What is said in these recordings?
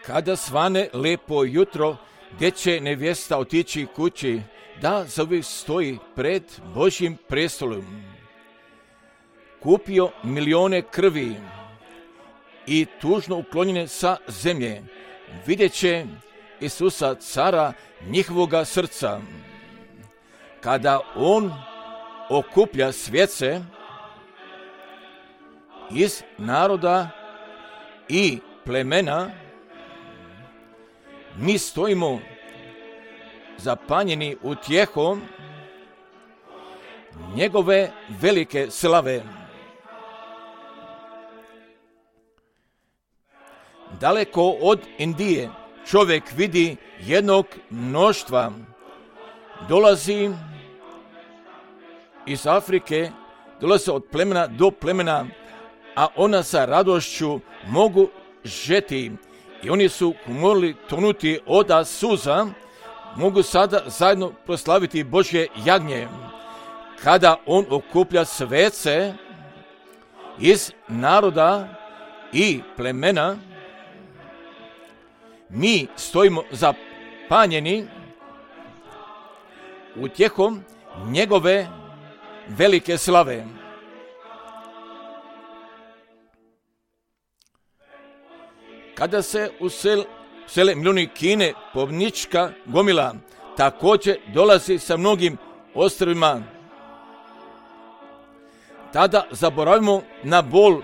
Kada svane lepo jutro, gdje će nevjesta otići kući, da zauvijek stoji pred Božjim prestolom. Kupio milijone krvi i tužno uklonjene sa zemlje, vidjet će Isusa, cara njihovoga srca. Kada on okuplja svjece iz naroda i plemena, mi stojimo zapanjeni utjehom njegove velike slave. Daleko od Indije čovjek vidi jednog mnoštva. Dolazi iz Afrike, dolazi od plemena do plemena, a ona sa radošću mogu žeti. I oni su morali tonuti od suza, mogu sada zajedno proslaviti Božje jagnje. Kada on okuplja svece iz naroda i plemena, mi stojimo zapanjeni utjehom njegove velike slave. Kada se usele milijuni Kine, pobnička gomila također dolazi sa mnogim ostrvima. Tada zaboravimo na bol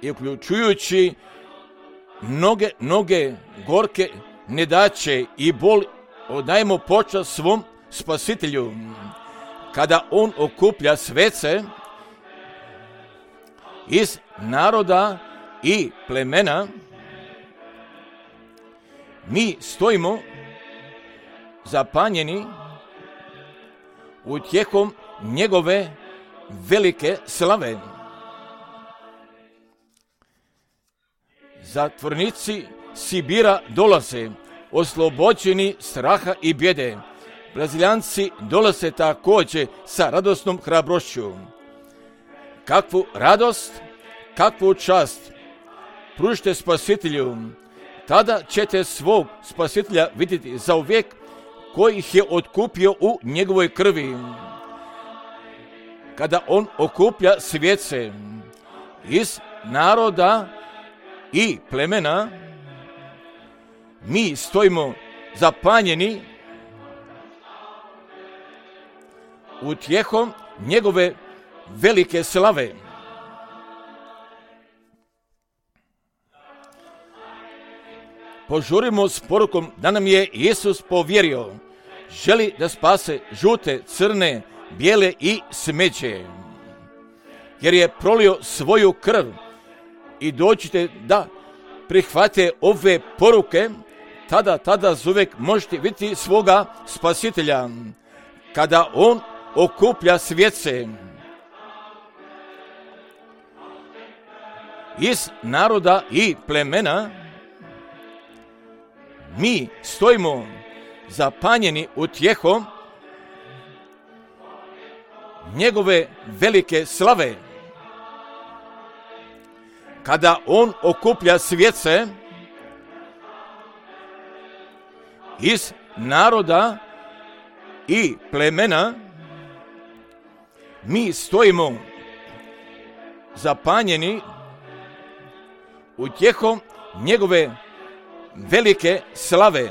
i uključujući mnoge gorke nedaće i bol, odajemo počast svom Spasitelju. Kada on okuplja svece iz naroda i plemena, mi stojimo zapanjeni utjehom njegove velike slave. Zatvornici Sibira dolaze, oslobođeni straha i bijede. Braziljanci dolaze također sa radosnom hrabrošću. Kakvu radost, kakvu čast pružite Spasitelju, tada ćete svog Spasitelja vidjeti zauvijek, koji ih je otkupio u njegovoj krvi. Kada on okuplja svjece iz naroda i plemena, mi stojimo zapanjeni utjehom njegove velike slave. Požurimo s porukom da nam je Isus povjerio. Želi da spase žute, crne, bijele i smeđe. Jer je prolio svoju krv. I dođite da prihvate ove poruke, tada zauvijek možete vidjeti svoga Spasitelja. Kada on okuplja svjece iz naroda i plemena, mi stojimo zapanjeni utjehom njegove velike slave. Kada on okuplja svjece iz naroda i plemena, mi stojimo zapanjeni utjehom njegove velike slave.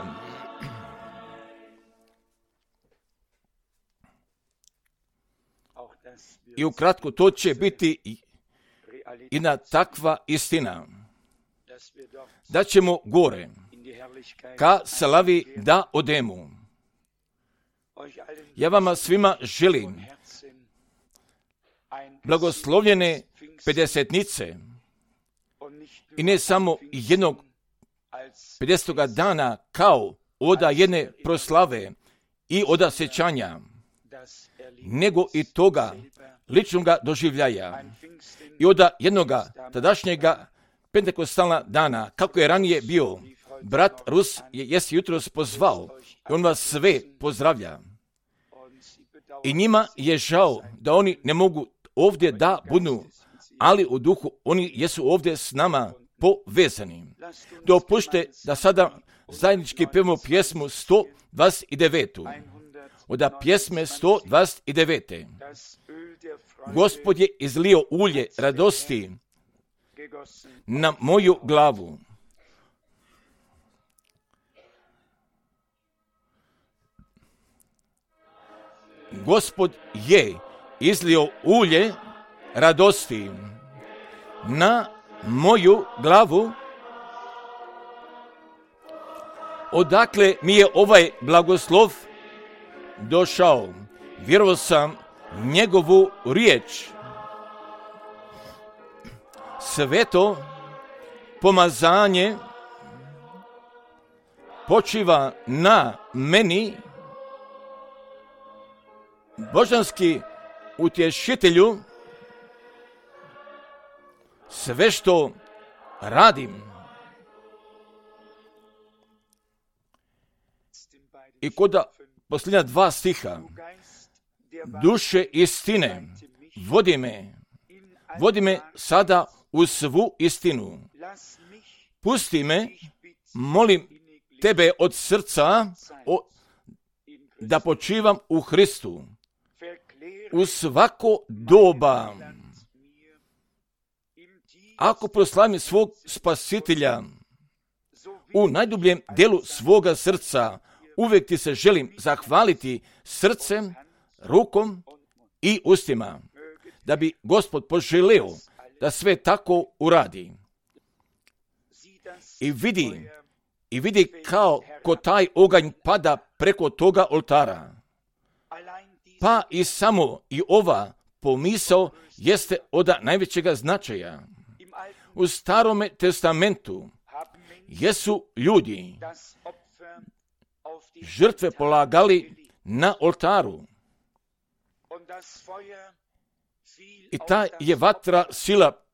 I ukratko to će biti jedna takva istina, da ćemo gore ka slavi da odemo. Ja vama svima želim blagoslovljene pedesetnice i ne samo jednog 50. dana kao oda jedne proslave i oda sjećanja, nego i toga ličnoga doživljaja i oda jednoga tadašnjega pentekostalna dana, kako je ranije bio. Brat Rus jest jutros pozvao i on vas sve pozdravlja. I njima je žao da oni ne mogu ovdje da budu, ali u duhu oni jesu ovdje s nama povezani. Dopušte da sada zajednički pevamo pjesmu 129. Od pjesme 129. Gospod je izlio ulje radosti na moju glavu. Gospod je izlio ulje radosti na moju glavu. Odakle mi je ovaj blagoslov došao? Vjerovao sam njegovu riječ. Sveto pomazanje počiva na meni. Božanski utješitelju, sve što radim i kod posljednja 2 stiha, duše istine, vodi me sada u svu istinu. Pusti me, molim tebe od srca, da počivam u Hristu u svako doba. Ako proslavim svog Spasitelja u najdubljem delu svoga srca, uvijek ti se želim zahvaliti srcem, rukom i ustima, da bi Gospod poželeo da sve tako uradi. I vidi kako taj oganj pada preko toga oltara. Pa i samo i ova pomisao jeste od najvećega značaja. U Starome testamentu jesu ljudi žrtve polagali na oltaru. I ta je vatra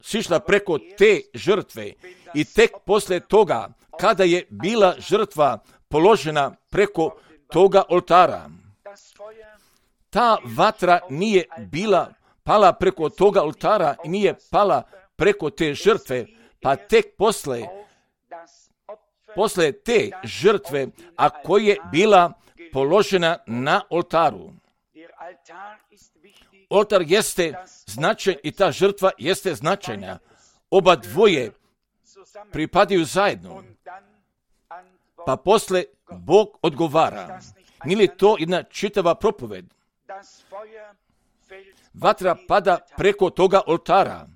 sišla preko te žrtve. I tek poslije toga, kada je bila žrtva položena preko toga oltara, ta vatra nije bila pala preko toga oltara i nije pala preko te žrtve, pa tek posle te žrtve, a koja je bila položena na oltaru. Oltar jeste značajan i ta žrtva jeste značajna. Oba dvoje pripadaju zajedno. Pa posle Bog odgovara. Nije li to jedna čitava propoved? Vatra pada preko toga oltara.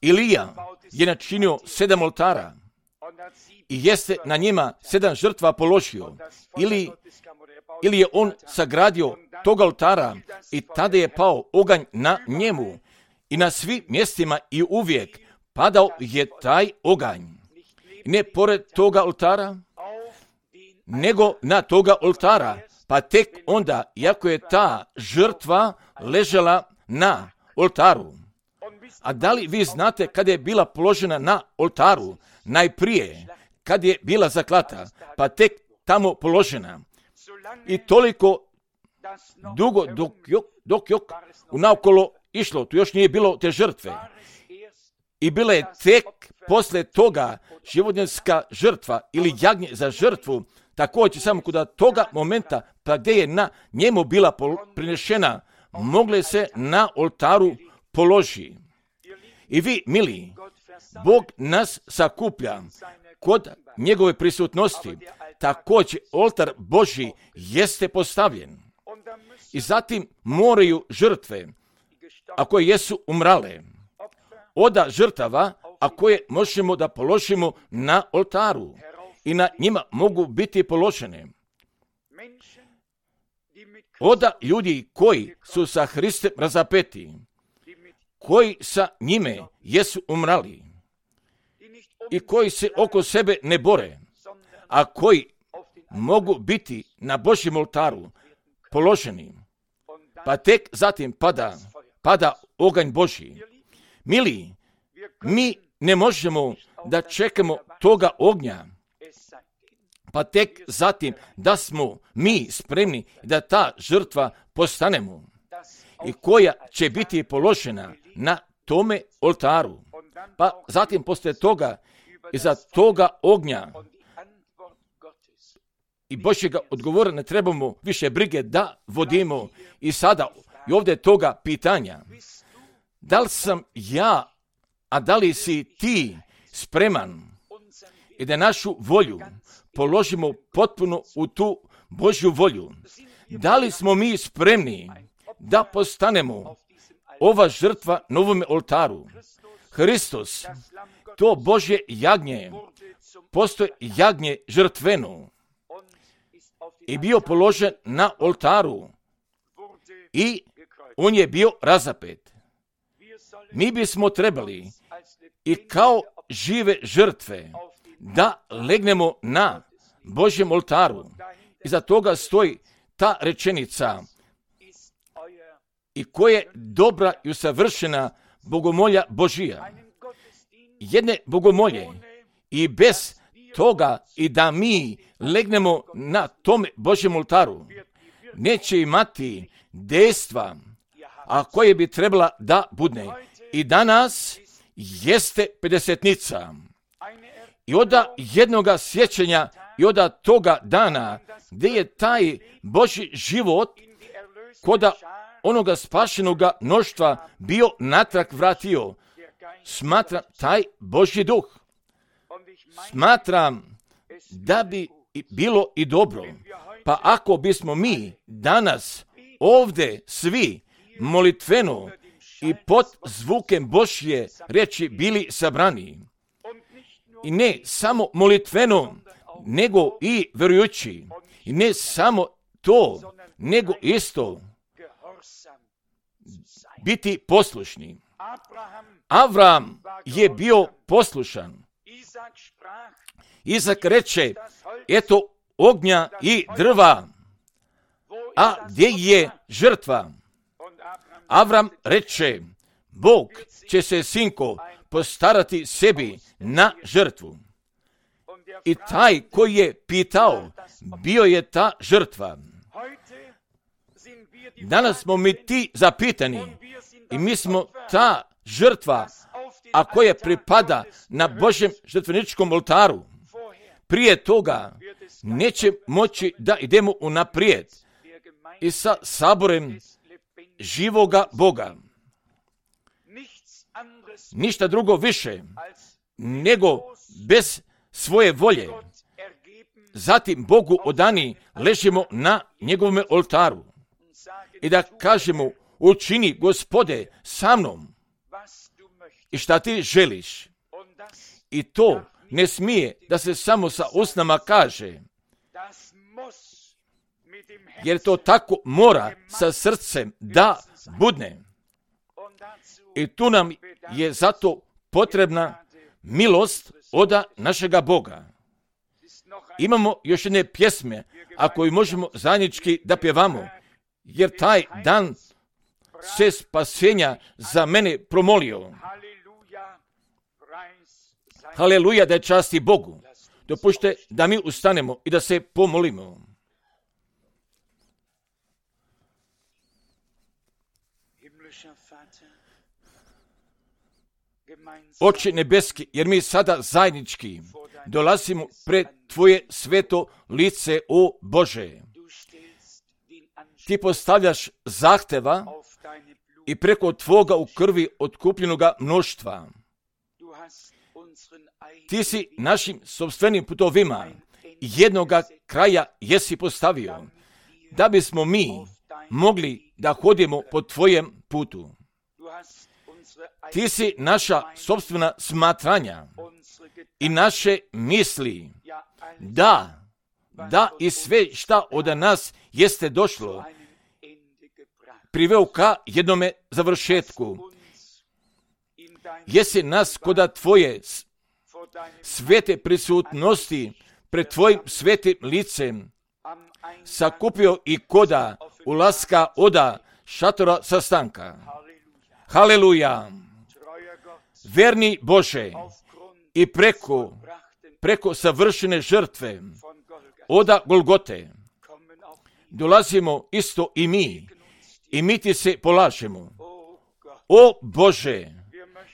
Ilija je načinio 7 oltara i jeste na njima 7 žrtva položio. Ili je on sagradio toga oltara i tada je pao oganj na njemu. I na svim mjestima i uvijek padao je taj oganj. Ne pored toga oltara, nego na toga oltara. Pa tek onda, iako je ta žrtva ležala na oltaru. A da li vi znate kada je bila položena na oltaru? Najprije, kad je bila zaklata, pa tek tamo položena. I toliko dugo dok unaokolo išlo, tu još nije bilo te žrtve. I bila je tek posle toga životinjska žrtva ili jagnje za žrtvu, također samo kod toga momenta pa gdje je na njemu bila prinešena, mogle se na oltaru položi. I vi, mili, Bog nas sakuplja kod njegove prisutnosti. Također oltar Božji jeste postavljen. I zatim moraju žrtve, a koje jesu umrale, oda žrtava, a koje možemo da položimo na oltaru i na njima mogu biti položene. Oda ljudi koji su sa Hristom razapeti, koji sa njime jesu umrali i koji se oko sebe ne bore, a koji mogu biti na Božjem oltaru položeni, pa tek zatim pada oganj Božji. Mili, mi ne možemo da čekamo toga ognja, pa tek zatim da smo mi spremni da ta žrtva postanemo i koja će biti položena na tome oltaru. Pa zatim poslije toga, iza toga ognja i Božjega odgovora ne trebamo više brige da vodimo. I sada i ovdje toga pitanja. Da li sam ja, a da li si ti spreman i da našu volju položimo potpuno u tu Božju volju? Da li smo mi spremni da postanemo ova žrtva na ovome oltaru? Hristos, to Božje jagnje, postoje jagnje žrtveno i bio položen na oltaru i on je bio razapet. Mi bismo trebali i kao žive žrtve da legnemo na Božjem oltaru. Iza toga stoji ta rečenica: i koja je dobra i usavršena bogomolja Božija. Jedne bogomolje i bez toga i da mi legnemo na tome Božjem oltaru neće imati dejstva, a koje bi trebala da budne. I danas jeste pedesetnica. I od jednoga sjećanja i od toga dana gdje je taj Božji život koda onoga spašenoga mnoštva bio natrag vratio. Smatram taj Božji duh. Smatram da bi bilo i dobro. Pa ako bismo mi danas ovdje svi molitveno i pod zvukem Božje riječi bili sabrani. I ne samo molitveno, nego i vjerujući. I ne samo to, nego isto biti poslušni. Avram je bio poslušan. Izak reče: eto ognja i drva, a gdje je žrtva? Avram reče: Bog će se, sinko, postarati sebi na žrtvu. I taj koji je pitao, bio je ta žrtva. Danas smo mi ti zapitani i mi smo ta žrtva, a koja pripada na Božjem žrtveničkom oltaru. Prije toga neće moći da idemo unaprijed i sa saborem živoga Boga. Ništa drugo više nego bez svoje volje. Zatim Bogu odani ležimo na njegovome oltaru i da kažemo: učini, Gospode, sa mnom i šta ti želiš. I to ne smije da se samo sa usnama kaže, jer to tako mora sa srcem da budne. I tu nam je zato potrebna milost od našega Boga. Imamo još jedne pjesme, ako i možemo zajednički da pjevamo, jer taj dan se spasenja za mene promolio. Haleluja, da je časti Bogu. Dopušte da mi ustanemo i da se pomolimo. Oče nebeski, jer mi sada zajednički dolazimo pred Tvoje sveto lice, o Bože. Ti postavljaš zahteva i preko Tvoga u krvi otkupljenoga mnoštva. Ti si našim sopstvenim putovima jednoga kraja jesi postavio, da bismo mi mogli da hodimo po Tvojem putu. Ti si naša sopstvena smatranja i naše misli, da i sve šta od nas jeste došlo, priveo ka jednome završetku. Jesi nas koda Tvoje svete prisutnosti pred Tvojim svetim licem sakupio i koda ulaska oda šatora sastanka. Haleluja! Verni Bože, i preko savršene žrtve oda Golgote dolazimo isto i mi Ti se polažemo. O Bože,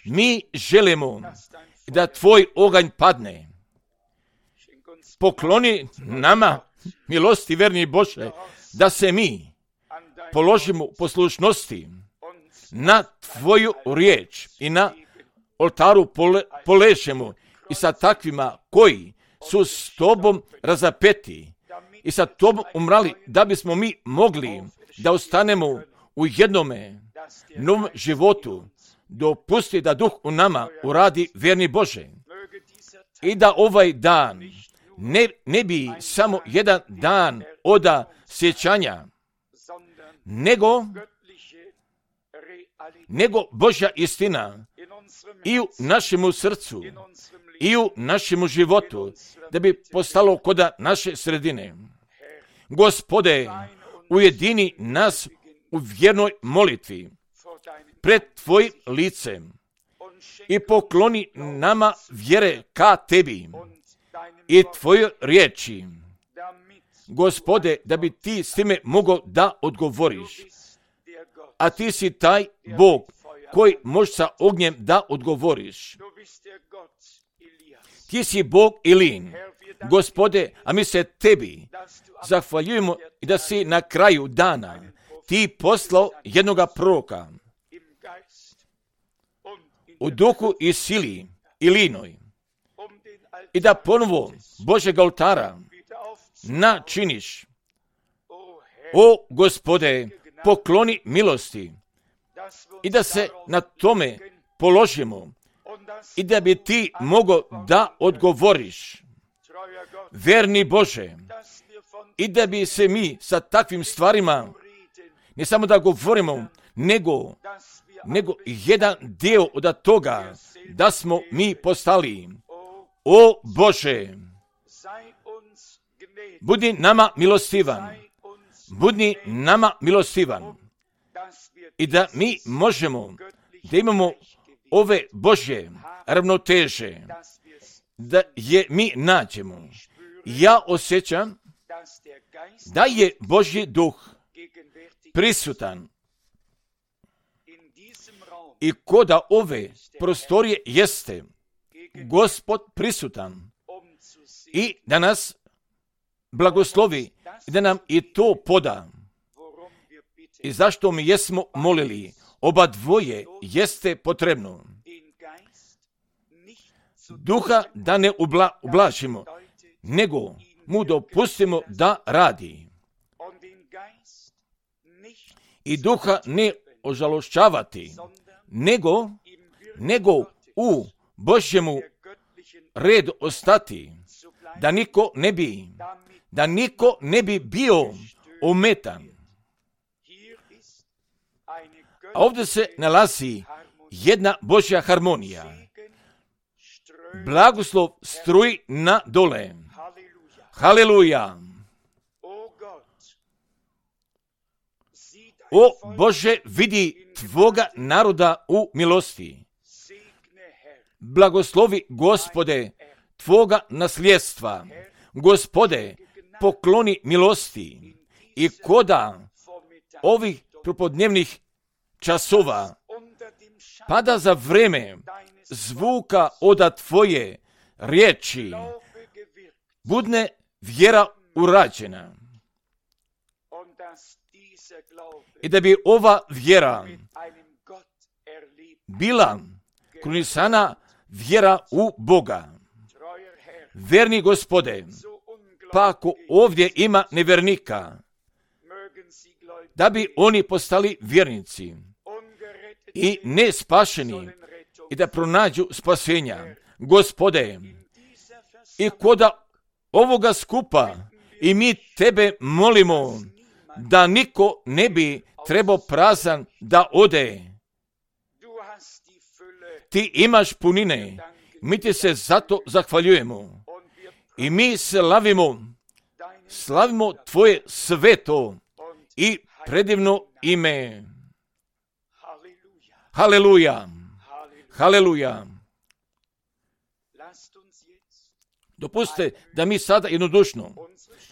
Mi želimo da tvoj oganj padne. Pokloni nama, milosti verni Bože, da se mi položimo u poslušnosti na tvoju riječ i na oltaru poležemo i sa takvima koji su s tobom razapeti i sa tobom umrali, da bismo mi mogli da ostanemo u jednome novom životu. Dopusti da Duh u nama uradi, verni Bože, i da ovaj dan ne bi samo jedan dan oda sjećanja, nego Božja istina i u našemu srcu i u našemu životu, da bi postalo koda naše sredine. Gospode, ujedini nas u vjernoj molitvi pred tvojim licem i pokloni nama vjere ka tebi i tvojoj riječi. Gospode, da bi ti s time mogao da odgovoriš. A ti si taj Bog koji može sa ognjem da odgovoriš. Ti si Bog Ilin. Gospode, a mi se tebi zahvaljujemo i da si na kraju dana ti poslao jednoga proroka u duhu i sili Ilinoj i da ponovo Božeg oltara načiniš. O Gospode, pokloni milosti i da se na tome položimo i da bi ti mogao da odgovoriš, verni Bože, i da bi se mi sa takvim stvarima ne samo da govorimo, nego jedan dio od toga da smo mi postali. O Bože, budi nama milostivan, budi nama milostivan i da mi možemo da imamo ove Božje ravnoteže, da je mi nađemo. Ja osjećam da je Božji duh prisutan i koda ove prostorije jeste Gospod prisutan i da nas blagoslovi i da nam i to poda. I zašto mi jesmo molili? Oba dvoje jeste potrebno. Duha da ne ublažimo, nego mu dopustimo da radi. I duha ne ožalošćavati, nego u Božjemu redu ostati, da niko ne bi bio ometan. A ovdje se nalazi jedna Božja harmonija. Blagoslov struji na dole. Haleluja. O Bože, vidi tvoga naroda u milosti. Blagoslovi, Gospode, tvoga nasljedstva. Gospode, pokloni milosti i koda ovih propodnevnih časova pada za vreme zvuka od tvoje riječi, budne vjera urađena. I da bi ova vjera bila krunisana vjera u Boga. Verni Gospode, pa ako ovdje ima nevernika, da bi oni postali vjernici i nespašeni i da pronađu spasenja. Gospode, i koda ovoga skupa i mi tebe molimo da niko ne bi trebao prazan da ode. Ti imaš punine, mi ti se zato zahvaljujemo i mi slavimo tvoje sveto i predivno ime. Haleluja, haleluja. Dopustite da mi sada jednodušno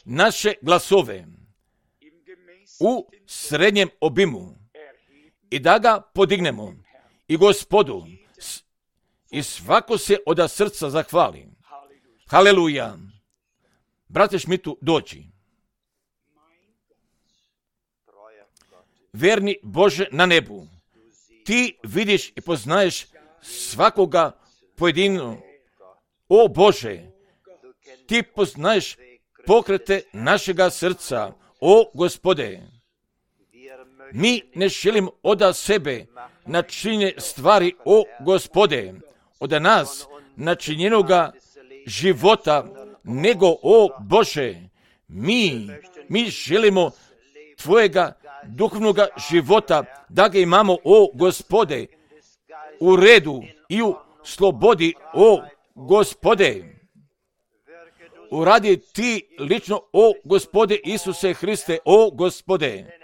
naše glasove u srednjem obimu i da ga podignemo i Gospodu i svako se od srca zahvali. Haleluja. Brate Šmitu, dođi. Verni Bože na nebu, ti vidiš i poznaješ svakoga pojedino. O Bože, ti poznaješ pokrete našega srca. O Gospode, mi ne želimo od sebe načinjene stvari, o Gospode, od nas načinjenoga života, nego, o Bože, mi želimo Tvojega duhovnog života, da ga imamo, o Gospode, u redu i u slobodi, o Gospode. Uradi ti lično, o Gospode Isuse Hriste, o Gospode,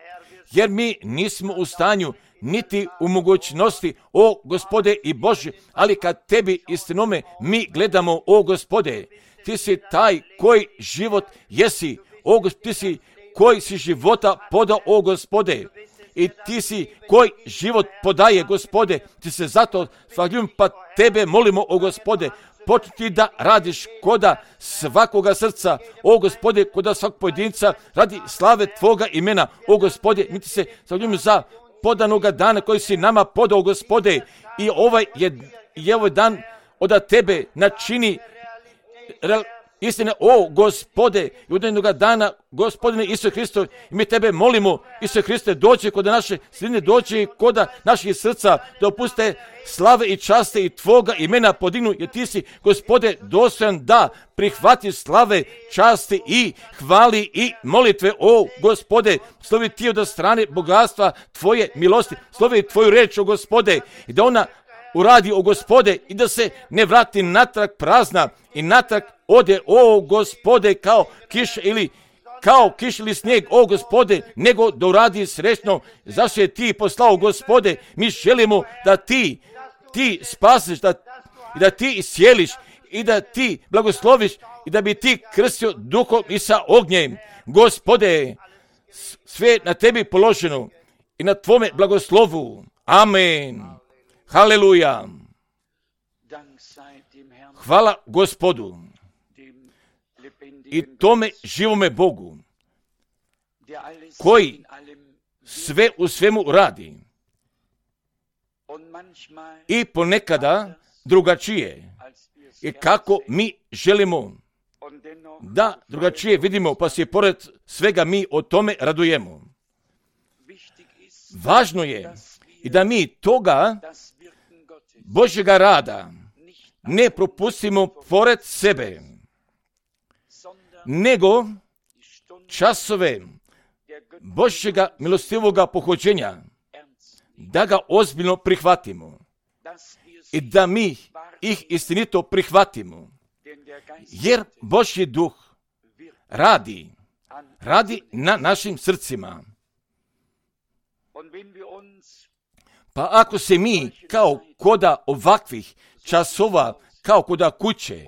jer mi nismo u stanju niti u mogućnosti, o Gospode i Bože, ali kad tebi istinome mi gledamo, o Gospode, ti si taj koji život jesi, o Gospode, ti si koji si života podao, o Gospode, i ti si koji život podaje, Gospode, ti se zato zahvaljujem, pa tebe molimo, o Gospode, početi da radiš koda svakoga srca, o Gospode, koda svakog pojedinca, radi slave Tvoga imena, o Gospode, mi ti se zahvaljujemo za podanoga dana koji si nama podao, Gospode, i ovaj dan od Tebe načini istine, o Gospode, i od jednoga dana, Gospodine Isuse Hristo, i mi Tebe molimo, Isuse Hriste, dođi kod naše sredine, dođi kod naših srca, da opuste slave i časte i Tvoga imena podignu, jer Ti si, Gospode, dostojan da prihvati slave, časti i hvali i molitve, o Gospode, slovi Ti od strane bogatstva Tvoje milosti, slovi Tvoju reč, o Gospode, i da ona uradi, o Gospode, i da se ne vrati natrag prazna i natrag ode, o Gospode, kao kiš ili snijeg, o Gospode, nego da uradi srećno, zašto je Ti poslao, Gospode. Mi želimo da Ti spasiš, da Ti iscijeliš i da Ti blagosloviš i da bi Ti krstio duhom i sa ognjem. Gospode, sve na Tebi položeno i na Tvome blagoslovu. Amen. Haleluja. Hvala Gospodu i tome živome Bogu, koji sve u svemu radi i ponekada drugačije i kako mi želimo da drugačije vidimo, pa se pored svega mi o tome radujemo. Važno je i da mi toga Božjega rada ne propustimo pored sebe, nego časove Božjega milostivoga pohođenja, da ga ozbiljno prihvatimo i da mi ih istinito prihvatimo, jer Božji duh radi na našim srcima. Pa ako se mi kao koda ovakvih časova, kao koda kuće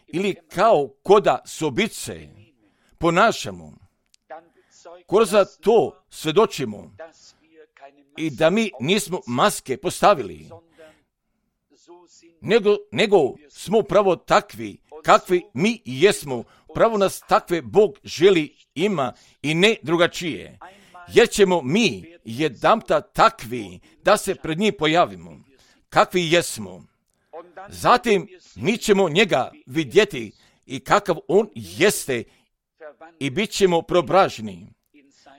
ili kao koda sobice ponašamo, kroz to svjedočimo i da mi nismo maske postavili, nego smo pravo takvi kakvi mi jesmo. Pravo nas takve Bog želi, ima i ne drugačije. Jer ćemo mi jedanputa takvi da se pred njih pojavimo, kakvi jesmo. Zatim mi ćemo njega vidjeti i kakav on jeste i bit ćemo preobraženi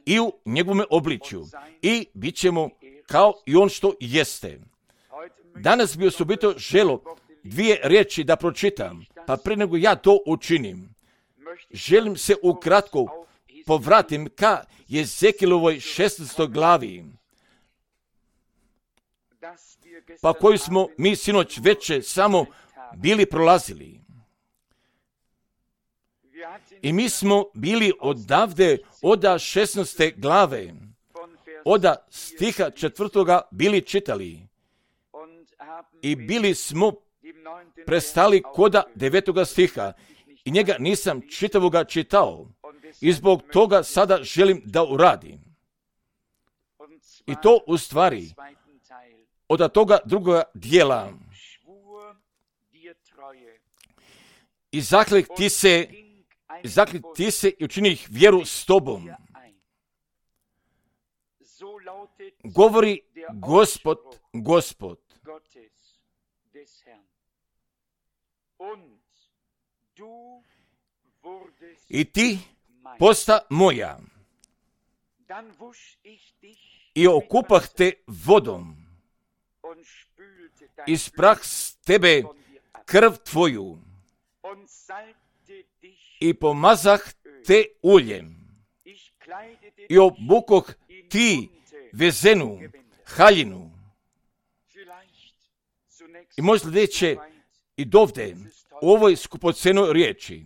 i u njegovom obličju i bit ćemo kao i on što jeste. Danas bi osobito želo 2 riječi da pročitam, pa prije nego ja to učinim, želim se ukratko povratim ka Jezekielovoj 16. glavi, pa koju smo mi sinoć veče samo bili prolazili. I mi smo bili odavde od 16. glave, od stiha 4. bili čitali i bili smo prestali koda 9. stiha i njega nisam čitavoga čitao i zbog toga sada želim da uradim. I to u stvari od toga drugoga dijela i zaklek ti se i učinih vjeru s tobom. Govori Gospod. I ti posta moja. I okupah te vodom. I sprah s tebe krv tvoju. I pomazah te uljem. I obukoh ti vezenu haljinu. I možda sljedeće i dovde u ovoj skupocenoj riječi.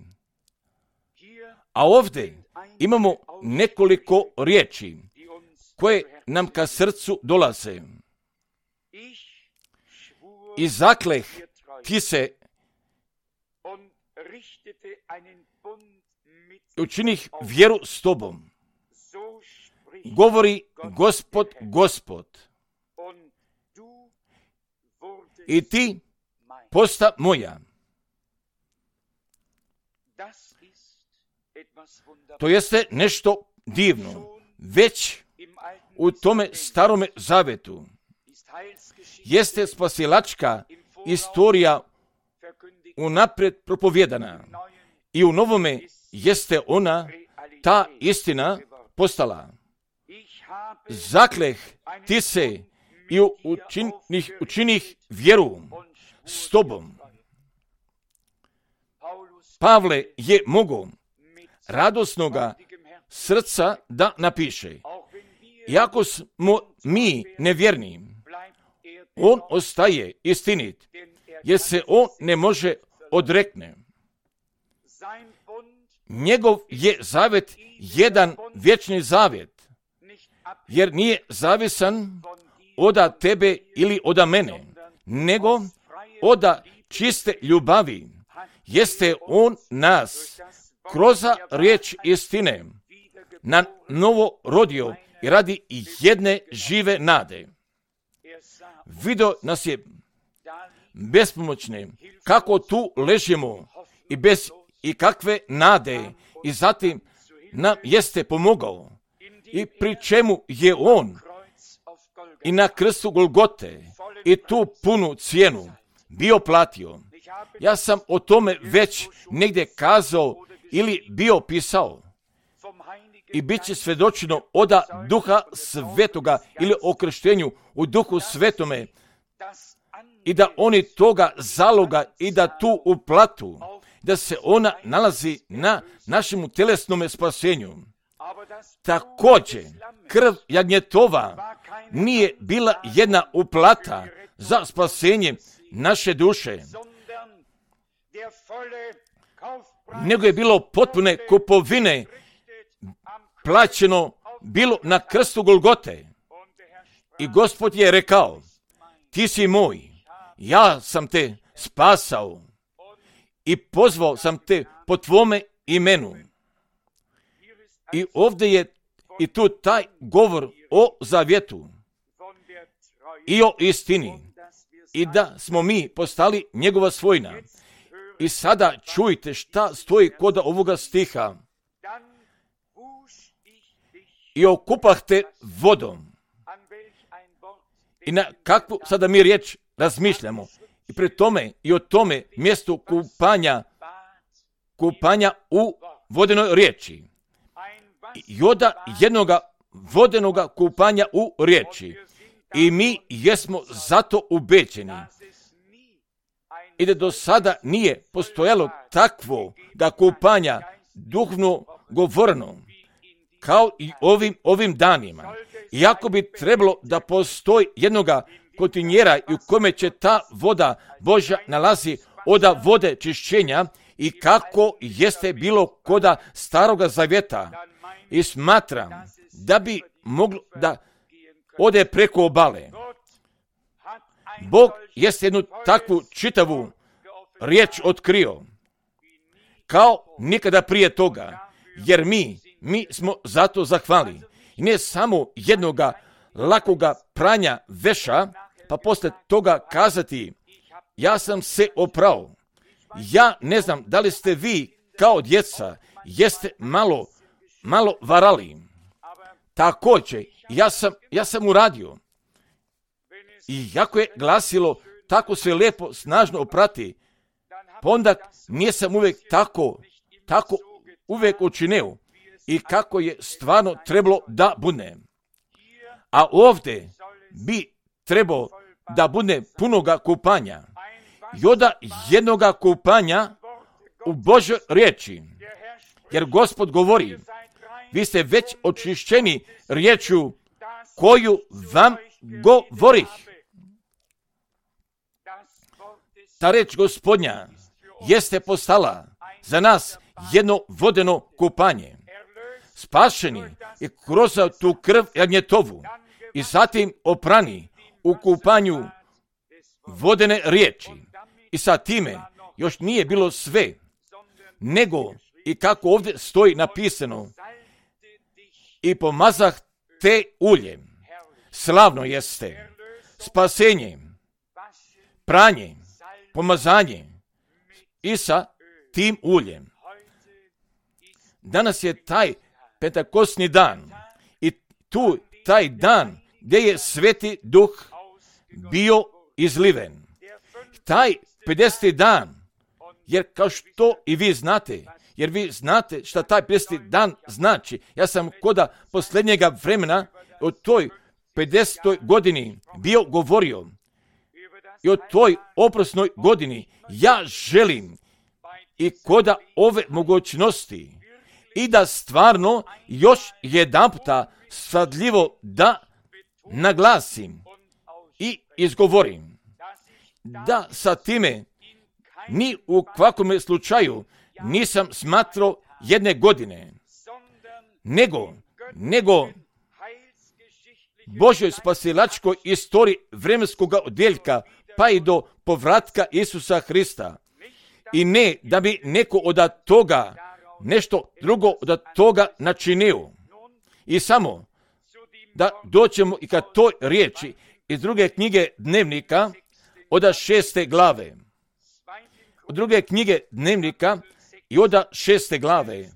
A ovdje imamo nekoliko riječi koje nam ka srcu dolaze. I zakleh ti se učinih vjeru s tobom. Govori Gospod. I ti posta moja. To jeste nešto divno. Već u tome starome zavetu jeste spasilačka istorija unaprijed propovjedana. I u novome jeste ona, ta istina, postala. Zakleh ti se i učinih vjeru s tobom. Pavle je mogao radosnoga srca da napiše. Iako smo mi nevjerni, on ostaje istinit, jer se on ne može odrekne. Njegov je zavet jedan vječni zavet, jer nije zavisan oda tebe ili oda mene, nego oda čiste ljubavi. Jeste on nas kroz riječ istine na novo rodio i radi jedne žive nade. Vidio nas je bespomoćne, kako tu ležimo i bez ikakve nade, i zatim nam jeste pomogao, i pri čemu je on i na krstu Golgote i tu punu cijenu bio platio. Ja sam o tome već negdje kazao ili bio pisao. I bit će svedočeno oda Duha Svetoga ili o krštenju u Duhu Svetome, i da oni toga zaloga i da tu uplatu, da se ona nalazi na našemu telesnome spasenju. Također, krv jagnjetova nije bila jedna uplata za spasenje naše duše, nego je bilo potpune kupovine plaćeno bilo na krstu Golgote. I Gospod je rekao, ti si moj, ja sam te spasao i pozvao sam te po tvome imenu. I ovdje je i tu taj govor o zavjetu i o istini, i da smo mi postali njegova svojina. I sada čujte šta stoji kod ovoga stiha. I okupah te vodom. I na kakvu sada mi riječ razmišljamo. I pri tome i o tome mjestu kupanja u vodenoj riječi. I oda jednoga vodenoga kupanja u riječi. I mi jesmo zato ubeđeni. I da do sada nije postojalo takvo da kupanja duhovno govorno kao i ovim danima. Iako bi trebalo da postoji jednoga kontinjera i u kome će ta voda Božja nalazi oda vode čišćenja, i kako jeste bilo koda staroga zavjeta. I smatram da bi moglo da ode preko obale. Bog jeste jednu takvu čitavu riječ otkrio, kao nikada prije toga, jer mi smo zato zahvali. I ne samo jednoga lakoga pranja veša, pa posle toga kazati, ja sam se oprao, Ja ne znam da li ste vi kao djeca, jeste malo varali. Također, ja sam uradio. I jako je glasilo tako sve lijepo, snažno oprati, pa onda nisam uvijek tako uvijek učinio i kako je stvarno trebalo da bude. A ovdje bi trebao da bude punoga kupanja. I onda jednoga kupanja u Božoj riječi. Jer Gospod govori, vi ste već očišćeni riječju koju vam govorih. Ta reč Gospodnja jeste postala za nas jedno vodeno kupanje. Spašeni i kroz tu krv jagnjetovu i zatim oprani u kupanju vodene riječi. I sa time još nije bilo sve, nego i kako ovdje stoji napisano, i pomazah te uljem. Slavno jeste spasenje, pranje, pomazanje i sa tim uljem. Danas je taj pentakosni dan i tu taj dan gdje je Sveti Duh bio izliven. Taj 50. dan, jer kao što i vi znate, jer vi znate šta taj 50. dan znači. Ja sam koda posljednjega vremena o toj 50. godini bio govorio i o toj oprosnoj godini. Ja želim i koda ove mogućnosti i da stvarno još jedanputa svadljivo da naglasim i izgovorim da sa time ni u kvakome slučaju nisam smatrao jedne godine, nego Božoj spasilačkoj istoriji vremenskog odjeljka pa i do povratka Isusa Hrista. I ne da bi neko od toga nešto drugo od toga načinio. I samo da doćemo i ka toj riječi iz druge knjige Dnevnika od 6. glave. Od druge knjige Dnevnika i od 6. glave.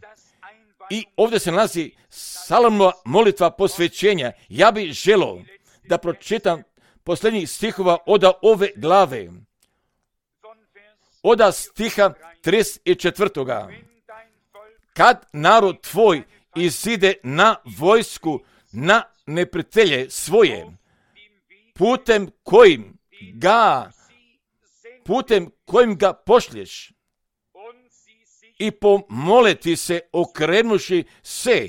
I ovdje se nalazi Salomova molitva posvećenja. Ja bih želio da pročitam posljednjih stihova od ove glave. Od stiha 34. Kad narod tvoj izide na vojsku, na neprijatelje svoje, putem kojim ga pošlješ, i pomoleti se okrenuši se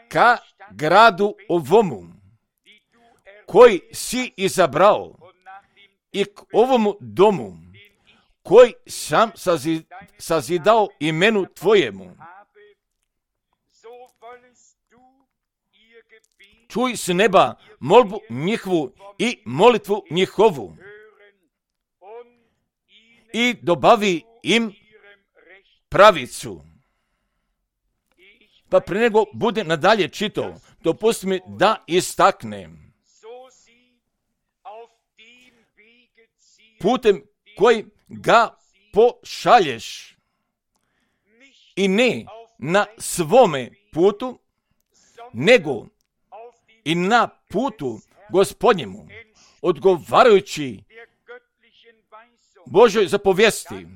ka gradu ovomu, koji si izabrao, i k ovomu domu, koji sam sazidao imenu tvojemu. Čuj s neba molbu njihovu i molitvu njihovu i dobavi im pravicu. Pa pre nego budem nadalje čitao, dopusti mi da istaknem. Putem koji ga pošalješ i ne na svome putu, nego i na putu Gospodnjemu, odgovarajući Božoj zapovijesti.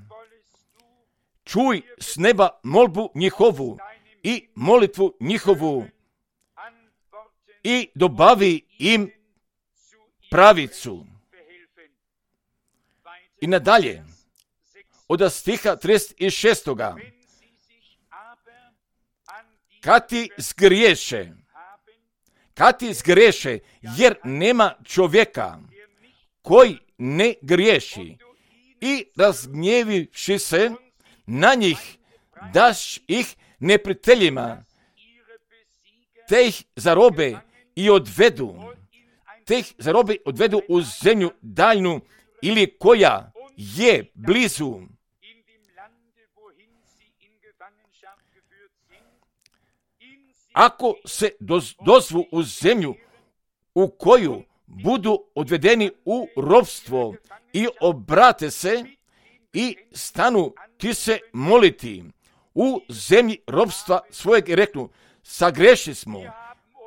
Čuj s neba molbu njihovu i molitvu njihovu i dobavi im pravicu. I nadalje, od stiha 36. Kad ti zgriješe, jer nema čovjeka koji ne griješi, i razgnjevivši se na njih, daš ih neprijateljima, te ih zarobe i odvedu u zemlju daljnu ili koja je blizu. Ako se dozvu u zemlju u koju budu odvedeni u ropstvo i obrate se i stanu ti se moliti u zemlji robstva svojeg i reknu,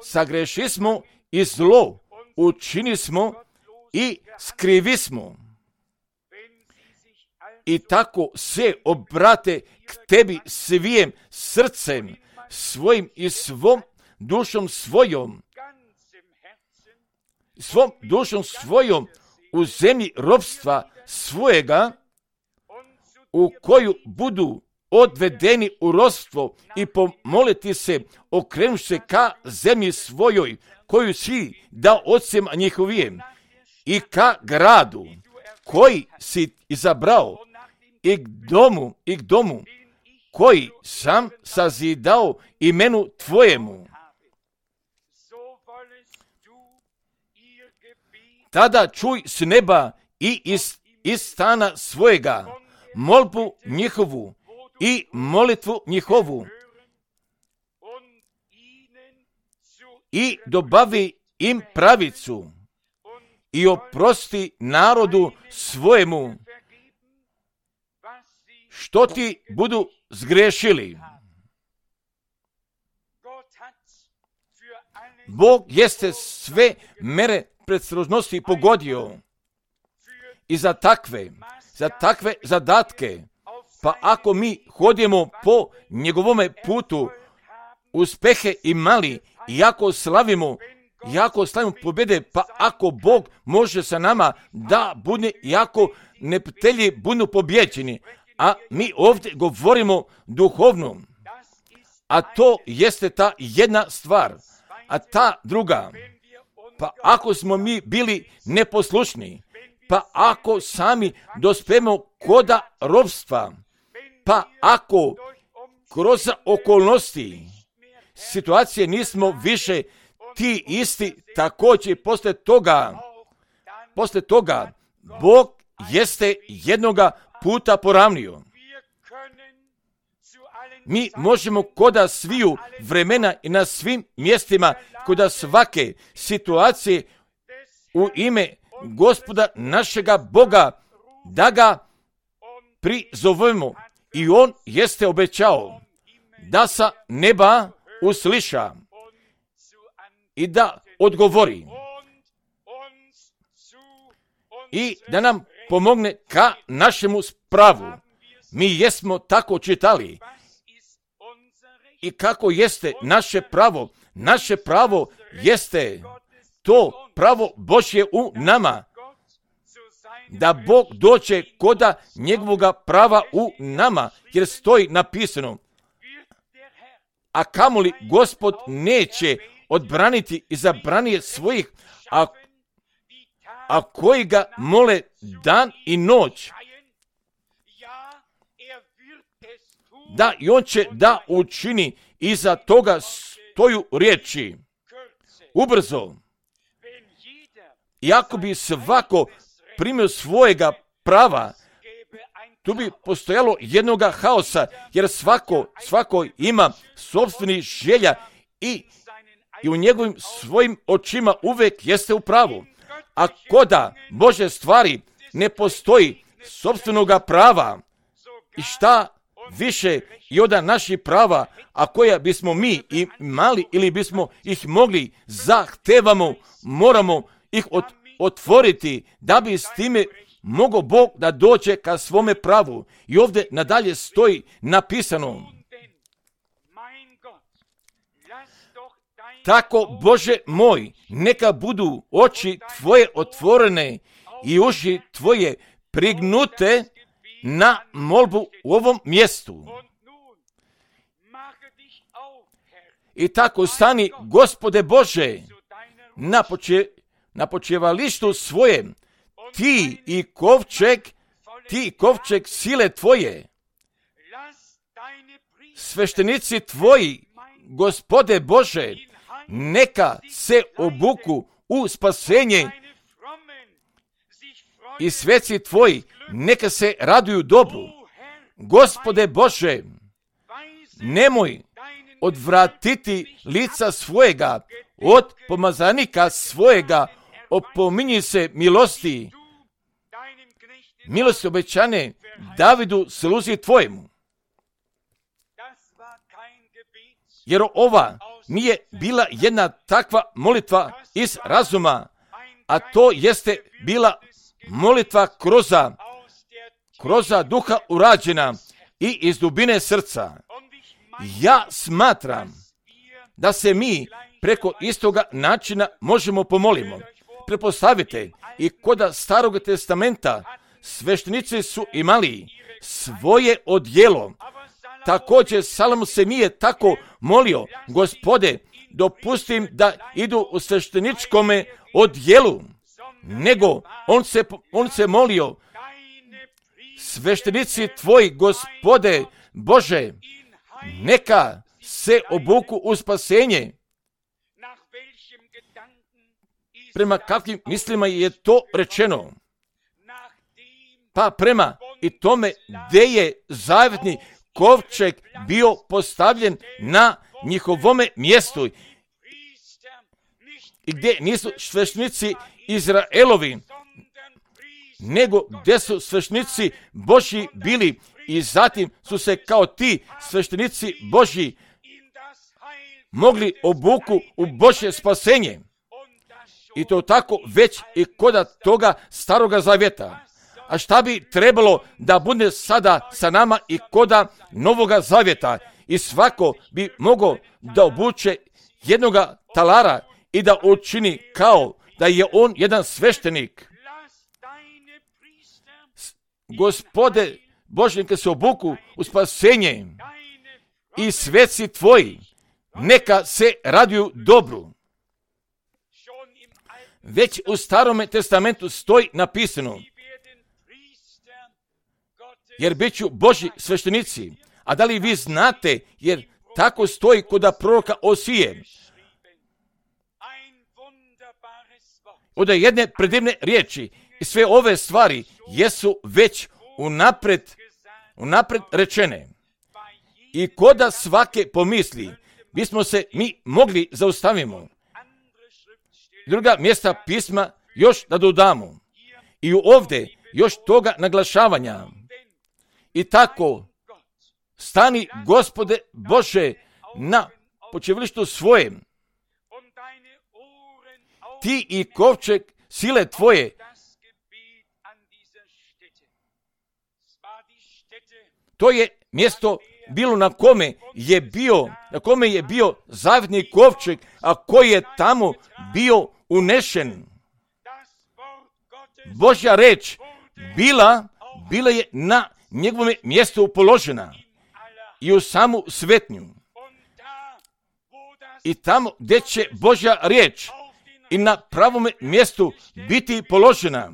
sagreši smo i zlo učini smo i skrivi smo. I tako se obrate k tebi svijem srcem svojim i svom dušom svojom u zemlji robstva svojega, u koju budu odvedeni u ropstvo i pomoliti se, okrenuši se ka zemlji svojoj, koju si dao ocem njihovijem, i ka gradu koji si izabrao, i k domu koji sam sazidao imenu tvojemu. Tada čuj s neba i iz stana svojega molbu njihovu i molitvu njihovu i dobavi im pravicu i oprosti narodu svojemu što ti budu zgrešili. Bog jeste sve mere predostrožnosti pogodio i za takve zadatke, pa ako mi hodimo po njegovome putu, uspehe imali, jako slavimo pobjede, pa ako Bog može sa nama da bude, jako neprijatelji budu pobjeđeni, a mi ovdje govorimo duhovno, a to jeste ta jedna stvar, a ta druga, pa ako smo mi bili neposlušni, pa ako sami dospemo koda ropstva, pa ako kroz okolnosti situacije nismo više ti isti, također posle toga Bog jeste jednoga puta poravnio. Mi možemo koda sviju vremena i na svim mjestima, koda svake situacije u ime Gospoda našega Boga da ga prizovemo, i on jeste obećao da sa neba usliša i da odgovori i da nam pomogne ka našemu spravu. Mi jesmo tako čitali. I kako jeste naše pravo? Naše pravo jeste to pravo Božje u nama, da Bog dođe koda njegovoga prava u nama, jer stoji napisano, a kamoli Gospod neće odbraniti i zabranije svojih, a koji ga mole dan i noć, da i on će da učini, iza toga stoju riječi ubrzo. I ako bi svako primio svojega prava, tu bi postojalo jednoga haosa, jer svako ima sopstveni želja i u njegovim svojim očima uvek jeste u pravu. A koda Bože stvari ne postoji sopstvenoga prava, i šta više i od naših prava, a koja bismo mi imali ili bismo ih mogli, zahtevamo, moramo ih otvoriti da bi s time mogao Bog da dođe ka svome pravu. I ovdje nadalje stoji napisano, tako Bože moj, neka budu oči tvoje otvorene i uši tvoje prignute na molbu u ovom mjestu. I tako stani, Gospode Bože, na počivalištu svojem, ti i kovčeg sile tvoje, sveštenici tvoji, Gospode Bože, neka se obuku u spasenje i sveci tvoji neka se raduju dobru. Gospode Bože, nemoj odvratiti lica svojega od pomazanika svojega, opominji se milosti milost obećane Davidu sluzi tvojemu. Jer ova nije bila jedna takva molitva iz razuma, a to jeste bila molitva kroza duha urađena i iz dubine srca. Ja smatram da se mi preko istoga načina možemo pomolimo. Pretpostavite, i kod Starog testamenta sveštenici su imali svoje odjelo. Također Salomon se nije tako molio: Gospode, dopustim da idu u svešteničkome odjelu, nego on se molio: sveštenici tvoji, Gospode Bože, neka se obuku u spasenje. Prema kakvim mislima je to rečeno? Pa prema i tome gdje je zavetni kovčeg bio postavljen na njihovome mjestu i gdje nisu sveštenici Izraelovi, nego gdje su sveštenici Božji bili, i zatim su se kao ti sveštenici Božji mogli obuku u Božje spasenje. I to tako već i kod toga Staroga Zavjeta. A šta bi trebalo da bude sada sa nama i koda Novoga Zavjeta? I svako bi mogao da obuče jednoga talara i da učini kao da je on jedan sveštenik. Gospode Bože, neka se obuku u spasenje i sveci tvoji neka se raduju dobru. Već u Starome testamentu stoji napisano: jer bit ću Božji sveštenici. A da li vi znate, jer tako stoji kod proroka Osije, od jedne predivne riječi, i sve ove stvari jesu već unapred rečene. I koda svake pomisli bismo se mi mogli zaustavimo. Druga mjesta pisma još da dodamo. I ovdje još toga naglašavanja. I tako stani, Gospode Bože, na počivalištu svojem. Ti i kovčeg sile tvoje. To je mjesto bilo na kome je bio zavetni kovčeg, a koji je tamo bio unešen. Božja reč bila je na njegovome mjestu položena i u samu svetnju. I tamo gdje će Božja riječ i na pravome mjestu biti položena,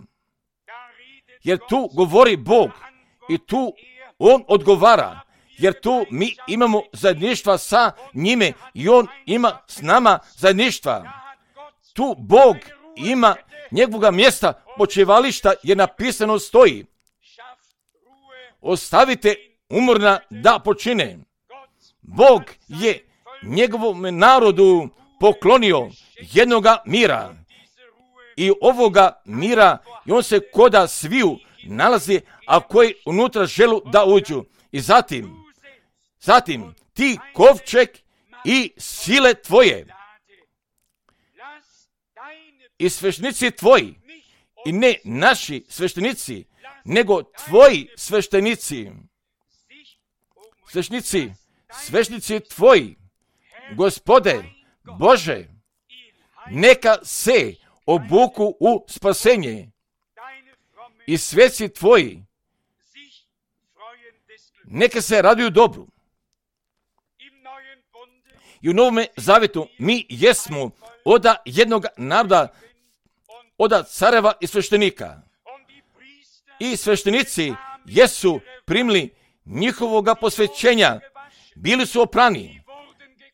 jer tu govori Bog i tu on odgovara, jer tu mi imamo zajedništva sa njime i on ima s nama zajedništva. Tu Bog ima njegovoga mjesta počivališta, jer napisano stoji: ostavite umorna da počine. Bog je njegovom narodu poklonio jednoga mira. I ovoga mira, i on se koda sviju nalazi, a koji unutra želu da uđu. I zatim ti kovčeg i sile tvoje i sveštenici tvoji, i ne naši sveštenici, nego tvoji sveštenici. Sveštenici tvoji, Gospode Bože, neka se obuku u spasenje i sveci tvoji neka se raduju dobru. I u Novome Zavjetu mi jesmo od jednog naroda, od careva i sveštenika. I sveštenici jesu primili njihovoga posvećenja, bili su oprani,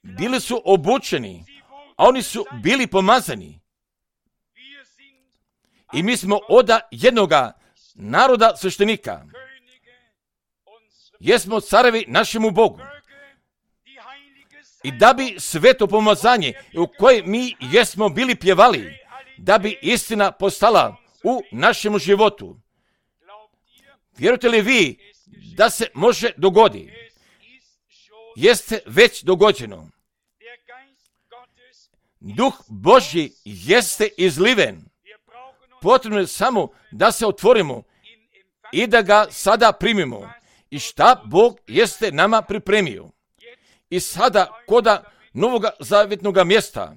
bili su obučeni, a oni su bili pomazani. I mi smo od jednoga naroda sveštenika. Jesmo carevi našemu Bogu. I da bi sveto pomazanje u koje mi jesmo bili pjevali, da bi istina postala u našemu životu. Vjerujete li vi da se može dogoditi? Jeste već dogođeno. Duh Božji jeste izliven. Potrebno je samo da se otvorimo i da ga sada primimo. I šta Bog jeste nama pripremio. I sada koda novoga zavjetnog mjesta.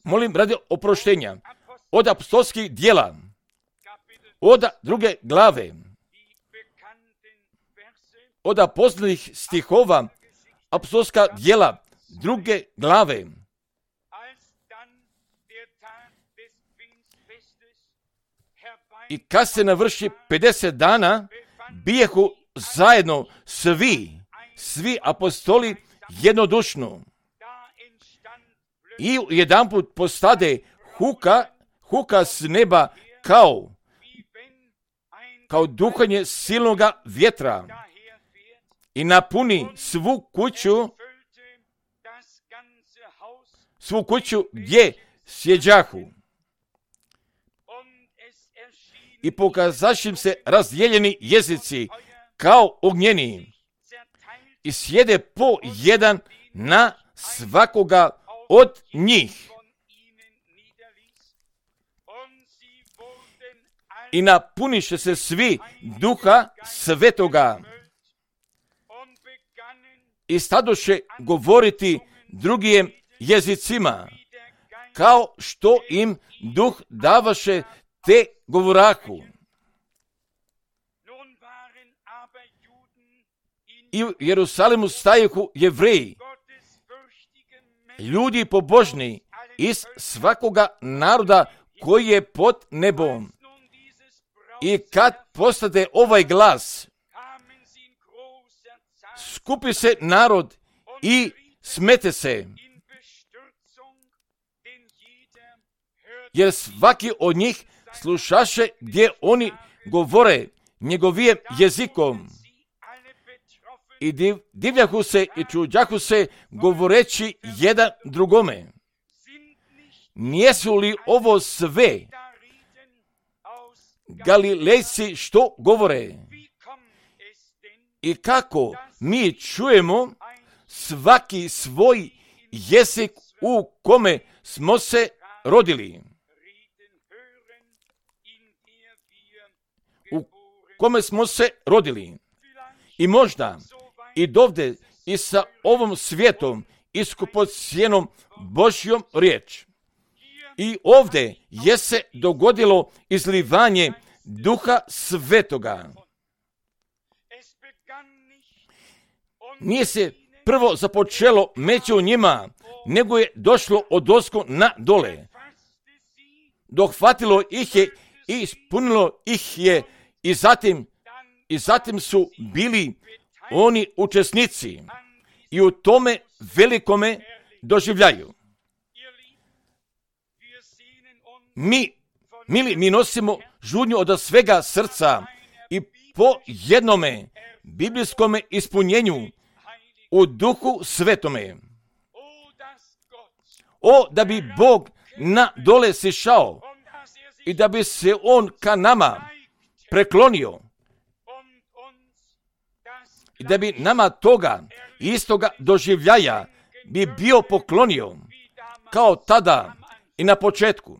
Molim radi oproštenja od apostolskih djela, od 2. glave, od poznanih stihova, apostolska djela 2. glave. I kad se navrši 50 dana, bijehu zajedno svi apostoli jednodušno. I jedanput postade huka s neba kao duhanje silnoga vjetra i napuni svu kuću gdje sjeđahu. I pokazaši im se razdijeljeni jezici kao ognjeni i sjede po jedan na svakoga od njih. I napuniše se svi Duha Svetoga i stadoše govoriti drugim jezicima, kao što im Duh davaše te govorahu. I u Jerusalimu stajehu Jevreji, ljudi pobožni iz svakoga naroda koji je pod nebom. I kad postade ovaj glas, skupi se narod i smete se, jer svaki od njih slušaše gdje oni govore njegovim jezikom. I divljahu se i čuđahu se govoreći jedan drugome. Nijesu li ovo sve Galilejci što govore? I kako mi čujemo svaki svoj jezik u kome smo se rodili? U kome smo se rodili? I možda i dovde i sa ovom svijetom iskupocijenom Božjom riječ. I ovdje je se dogodilo izlivanje Duha Svetoga. Nije se prvo započelo među njima, nego je došlo odozgo na dole. Dohvatilo ih je i ispunilo ih je i zatim su bili oni učesnici i u tome velikome doživljaju. Mi nosimo žudnju od svega srca i po jednome biblijskome ispunjenju u Duhu Svetome. O, da bi Bog na dole sišao i da bi se On ka nama preklonio i da bi nama toga istoga doživljaja bi bio poklonio kao tada i na početku.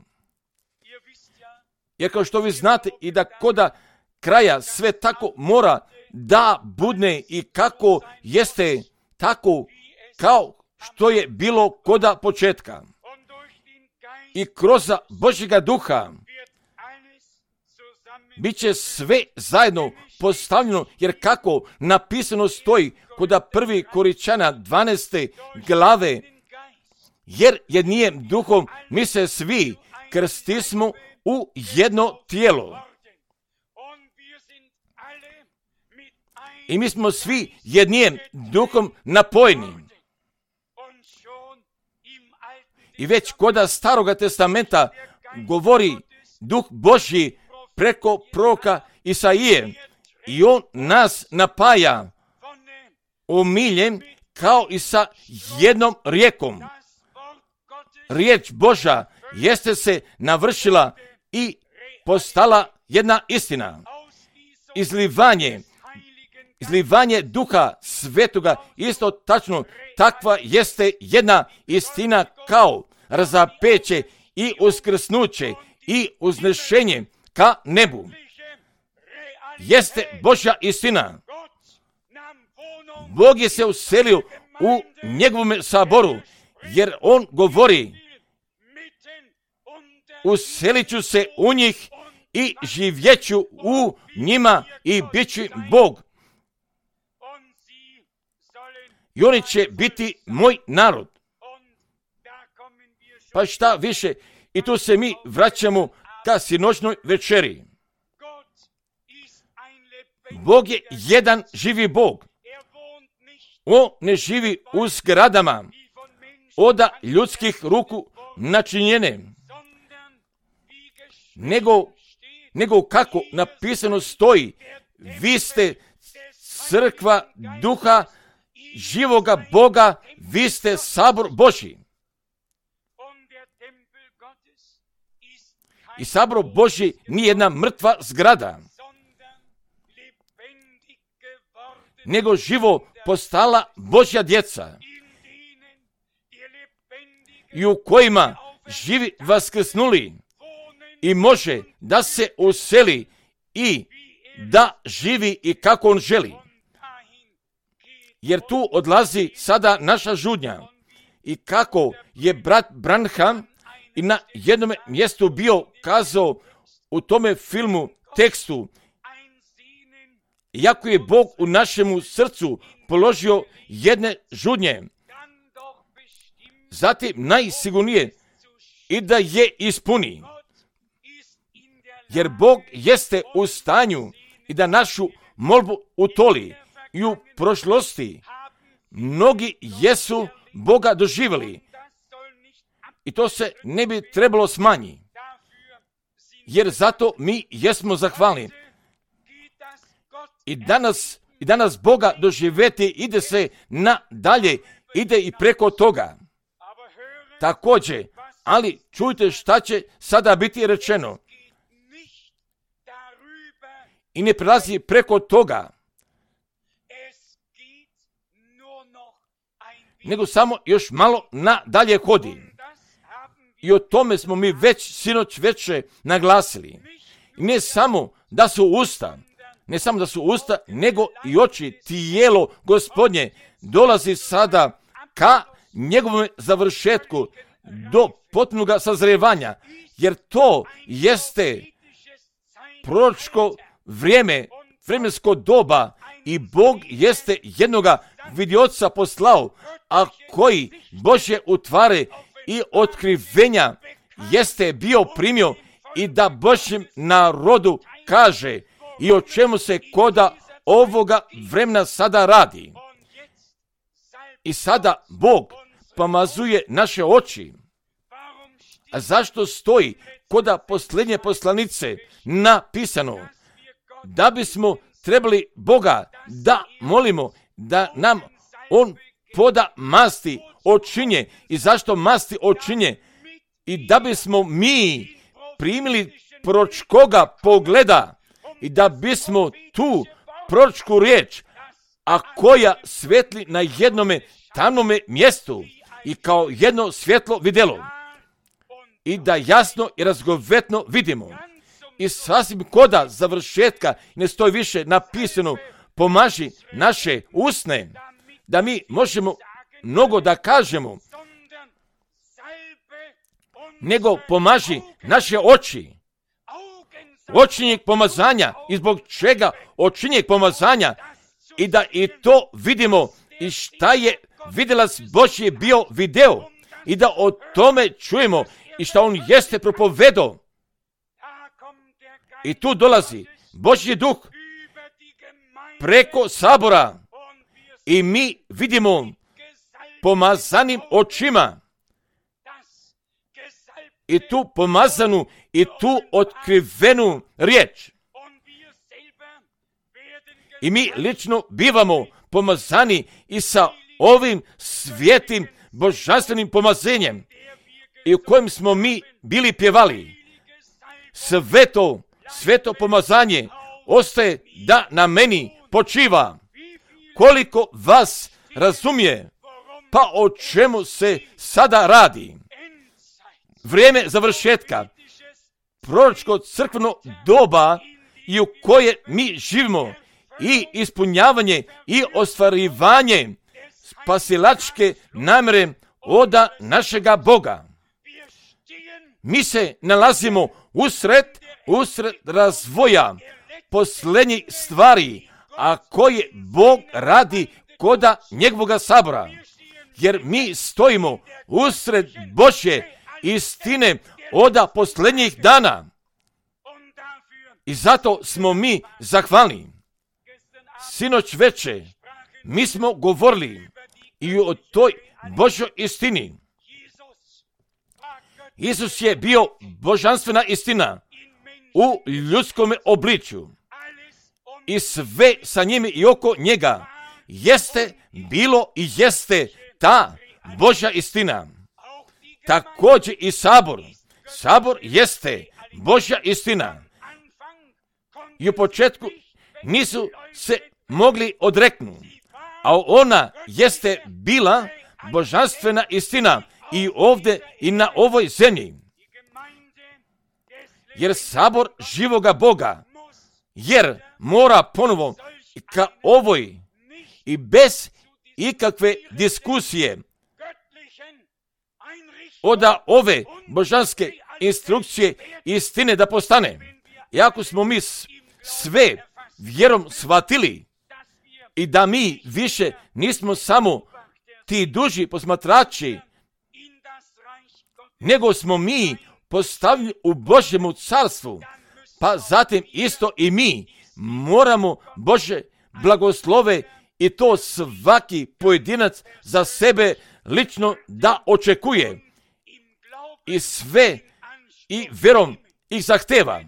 Jer kao što vi znate i da koda kraja sve tako mora da budne i kako jeste tako kao što je bilo koda početka. I kroz Božjega Duha bit će sve zajedno postavljeno, jer kako napisano stoji koda 1. Korinćana 12. glave, jer jednijem duhom mi se svi krstismo u jedno tijelo. I mi smo svi jednijem duhom napojeni. I već koda Staroga testamenta govori Duh Božji preko proroka Isaije i on nas napaja omiljem kao i sa jednom rijekom. Riječ Božja jeste se navršila i postala jedna istina. Izlivanje Duha Svetoga, isto tačno, takva jeste jedna istina kao razapeće i uskrsnuće i uznešenje ka nebu. Jeste Božja istina. Bog je se uselio u njegovom saboru, jer on govori: uselit ću se u njih i živjeću u njima i bit ću Bog. I oni će biti moj narod. Pa šta više, i tu se mi vraćamo ka sinoćnoj večeri. Bog je jedan živi Bog. On ne živi u zgradama od ljudskih ruku načinjene, nego kako napisano stoji: vi ste crkva Duha živoga Boga, vi ste sabor Božji. I sabor Božji nije jedna mrtva zgrada, nego živo postala Božja djeca, i u kojima živi vaskrsnuli i može da se useli i da živi i kako on želi. Jer tu odlazi sada naša žudnja. I kako je brat Branham i na jednom mjestu bio kazao u tome filmu, tekstu: iako je Bog u našemu srcu položio jedne žudnje, zatim najsigurnije i da je ispuni. Jer Bog jeste u stanju i da našu molbu utoli. I u prošlosti mnogi jesu Boga doživjeli. I to se ne bi trebalo smanjiti. Jer zato mi jesmo zahvalni. I danas Boga doživjeti ide se nadalje, ide i preko toga. Također, ali čujte šta će sada biti rečeno. I ne prelazi preko toga, nego samo još malo nadalje hodi. I o tome smo mi već sinoć veće naglasili. I ne samo da su usta, nego i oči, tijelo Gospodnje dolazi sada ka njegovom završetku do potpunog sazrevanja, jer to jeste proročko vrijeme, vremensko doba, i Bog jeste jednoga vidioca poslao, a koji Božje utvare i otkrivenja jeste bio primio i da Božjem narodu kaže i o čemu se koda ovoga vremena sada radi. I sada Bog pomazuje naše oči. A zašto stoji koda posljednje poslanice napisano? Da bismo trebali Boga da molimo da nam On poda masti očinje. I zašto masti očinje? I da bismo mi primili proročkoga pogleda i da bismo tu proročku riječ, a koja svetli na jednome tamnome mjestu i kao jedno svjetlo vidjelo, i da jasno i razgovetno vidimo. I sasvim koda završetka ne stoji više napisano: pomaži naše usne, da mi možemo mnogo da kažemo, nego pomaži naše oči. Očinjeg pomazanja. I zbog čega očinjeg pomazanja? I da i to vidimo i šta je vidilac Božji bio video, i da o tome čujemo i šta on jeste propovedao. I tu dolazi Božji duh preko sabora i mi vidimo pomazanim očima i tu pomazanu i tu otkrivenu riječ. I mi lično bivamo pomazani i sa ovim svijetim božanstvenim pomazenjem i u kojem smo mi bili pjevali. sveto pomazanje ostaje da na meni počiva. Koliko vas razumije, pa o čemu se sada radi? Vrijeme završetka, proročko crkveno doba i u koje mi živimo i ispunjavanje i ostvarivanje spasilačke namjere oda našega Boga. Mi se nalazimo usred razvoja posljednjih stvari, a koje Bog radi koda njegovoga sabora. Jer mi stojimo usred Božje istine oda posljednjih dana. I zato smo mi zahvalni. Sinoć veče mi smo govorili i o toj Božjoj istini. Isus je bio božanstvena istina u ljudskom obličju. I sve sa njime i oko njega jeste bilo i jeste ta Božja istina. Također i sabor. Sabor jeste Božja istina. I u početku nisu se mogli odreknuti, a ona jeste bila božanstvena istina i ovdje i na ovoj zemlji. Jer sabor živoga Boga, jer mora ponovo ka ovoj i bez ikakve diskusije oda ove božanske instrukcije istine da postane. I ako smo mi sve vjerom shvatili i da mi više nismo samo ti duži posmatrači, nego smo mi postavljeni u Božjemu carstvu, pa zatim isto i mi moramo Bože blagoslove i to svaki pojedinac za sebe lično da očekuje i sve i vjerom ih zahteva.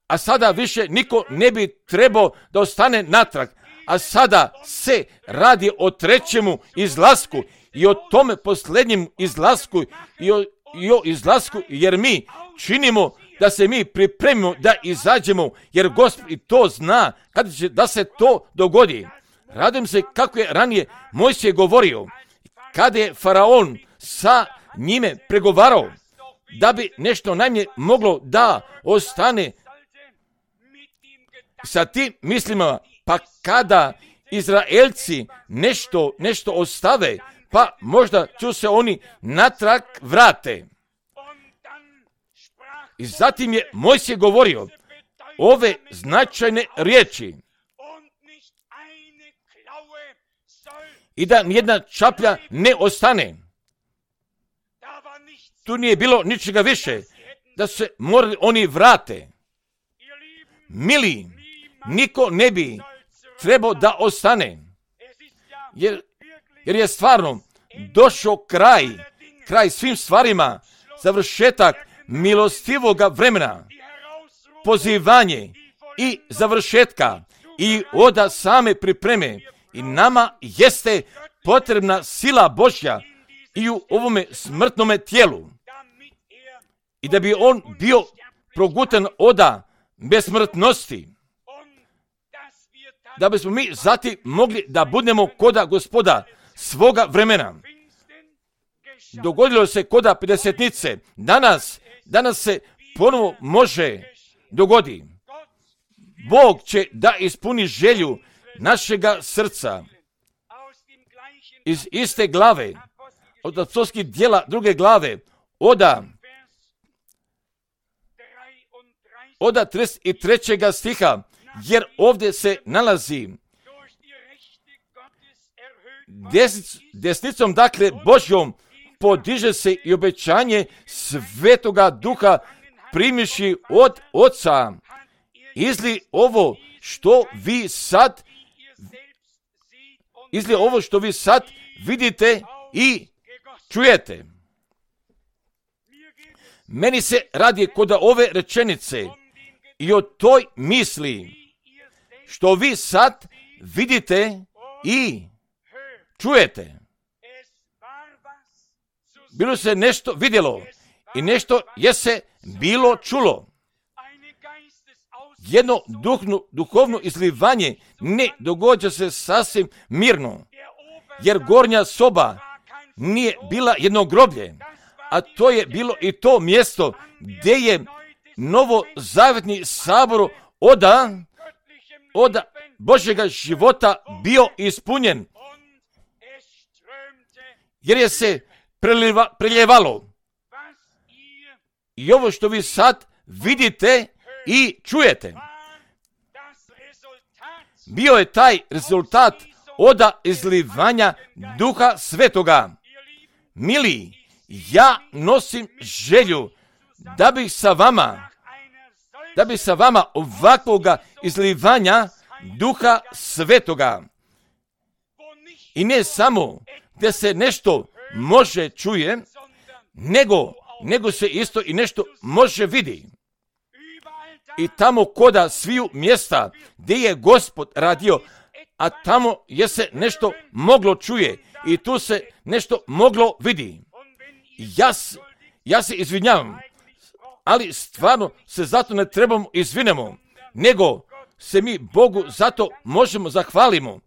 A sada više niko ne bi trebao da ostane natrag, a sada se radi o trećemu izlasku i o tome posljednjem izlasku i o izlasku, jer mi činimo da se mi pripremimo da izađemo, jer Gospod i to zna kada će da se to dogodi. Radujem se kako je ranije Mojsije govorio, kada je Faraon sa njime pregovarao, da bi nešto najmanje moglo da ostane sa tim mislima, pa kada Izraelci nešto ostave, pa možda će se oni natrag vrate. I zatim je Mojsije govorio ove značajne riječi i da nijedna čaplja ne ostane. Tu nije bilo ničega više, da se morali oni vrate. Mili, niko ne bi trebao da ostane, jer je stvarno došao kraj svim stvarima, završetak milostivoga vremena, pozivanje i završetka i oda same pripreme. I nama jeste potrebna sila Božja i u ovome smrtnome tijelu. I da bi on bio progutan oda besmrtnosti. Da bismo mi zatim mogli da budemo koda Gospoda svoga vremena. Dogodilo se koda pedesetnice. Danas se ponovo može dogodi. Bog će da ispuni želju našega srca. Iz iste glave, od apostolskih djela druge glave, oda 33. stiha, jer ovdje se nalazi desnicom, dakle Božjom, podiže se i obećanje Svetoga Duha primiši od Oca. Izli ovo što vi sad vidite i čujete. Meni se radi kod ove rečenice i o toj misli što vi sad vidite i čujete. Bilo se nešto vidjelo i nešto je se bilo čulo. Jedno duhovno izlivanje ne događa se sasvim mirno, jer gornja soba nije bila jedno groblje, a to je bilo i to mjesto gdje je novozavetni sabor od Božjega života bio ispunjen, jer je se preljevalo. I ovo što vi sad vidite i čujete, bio je taj rezultat od izlivanja Duha Svetoga. Mili, ja nosim želju da bi sa vama ovakvoga izlivanja Duha Svetoga, i ne samo da se nešto može čuje, nego se isto i nešto može vidi. I tamo koda sviju mjesta gdje je Gospod radio, a tamo je se nešto moglo čuje i tu se nešto moglo vidi. Ja se izvinjavam, ali stvarno se zato ne trebamo izvinemo, nego se mi Bogu zato možemo zahvalimo,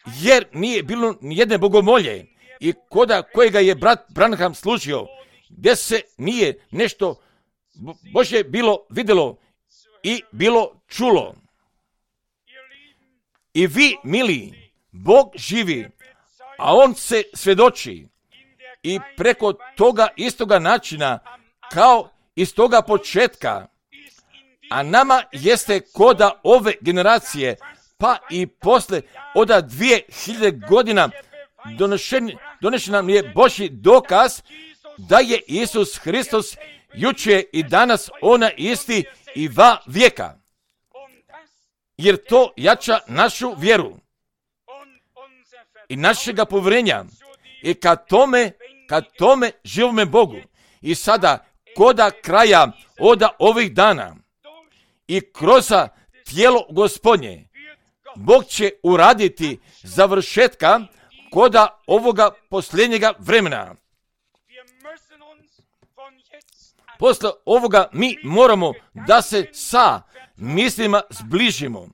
jer nije bilo nijedne bogomolje i koda kojega je brat Branham služio, gdje se nije nešto Božje bilo vidjelo i bilo čulo. I vi, mili, Bog živi, a On se svjedoči i preko toga istoga načina kao iz toga početka, a nama jeste koda ove generacije, pa i posle od 2000 godina donešen nam je Božji dokaz da je Isus Hristos jučer i danas ona isti i va vijeka. Jer to jača našu vjeru i našega povjerenja i ka tome živome Bogu. I sada koda kraja od ovih dana i kroz tijelo Gospodnje, Bog će uraditi završetka koda ovoga posljednjega vremena. Posle ovoga mi moramo da se sa mislima zbližimo,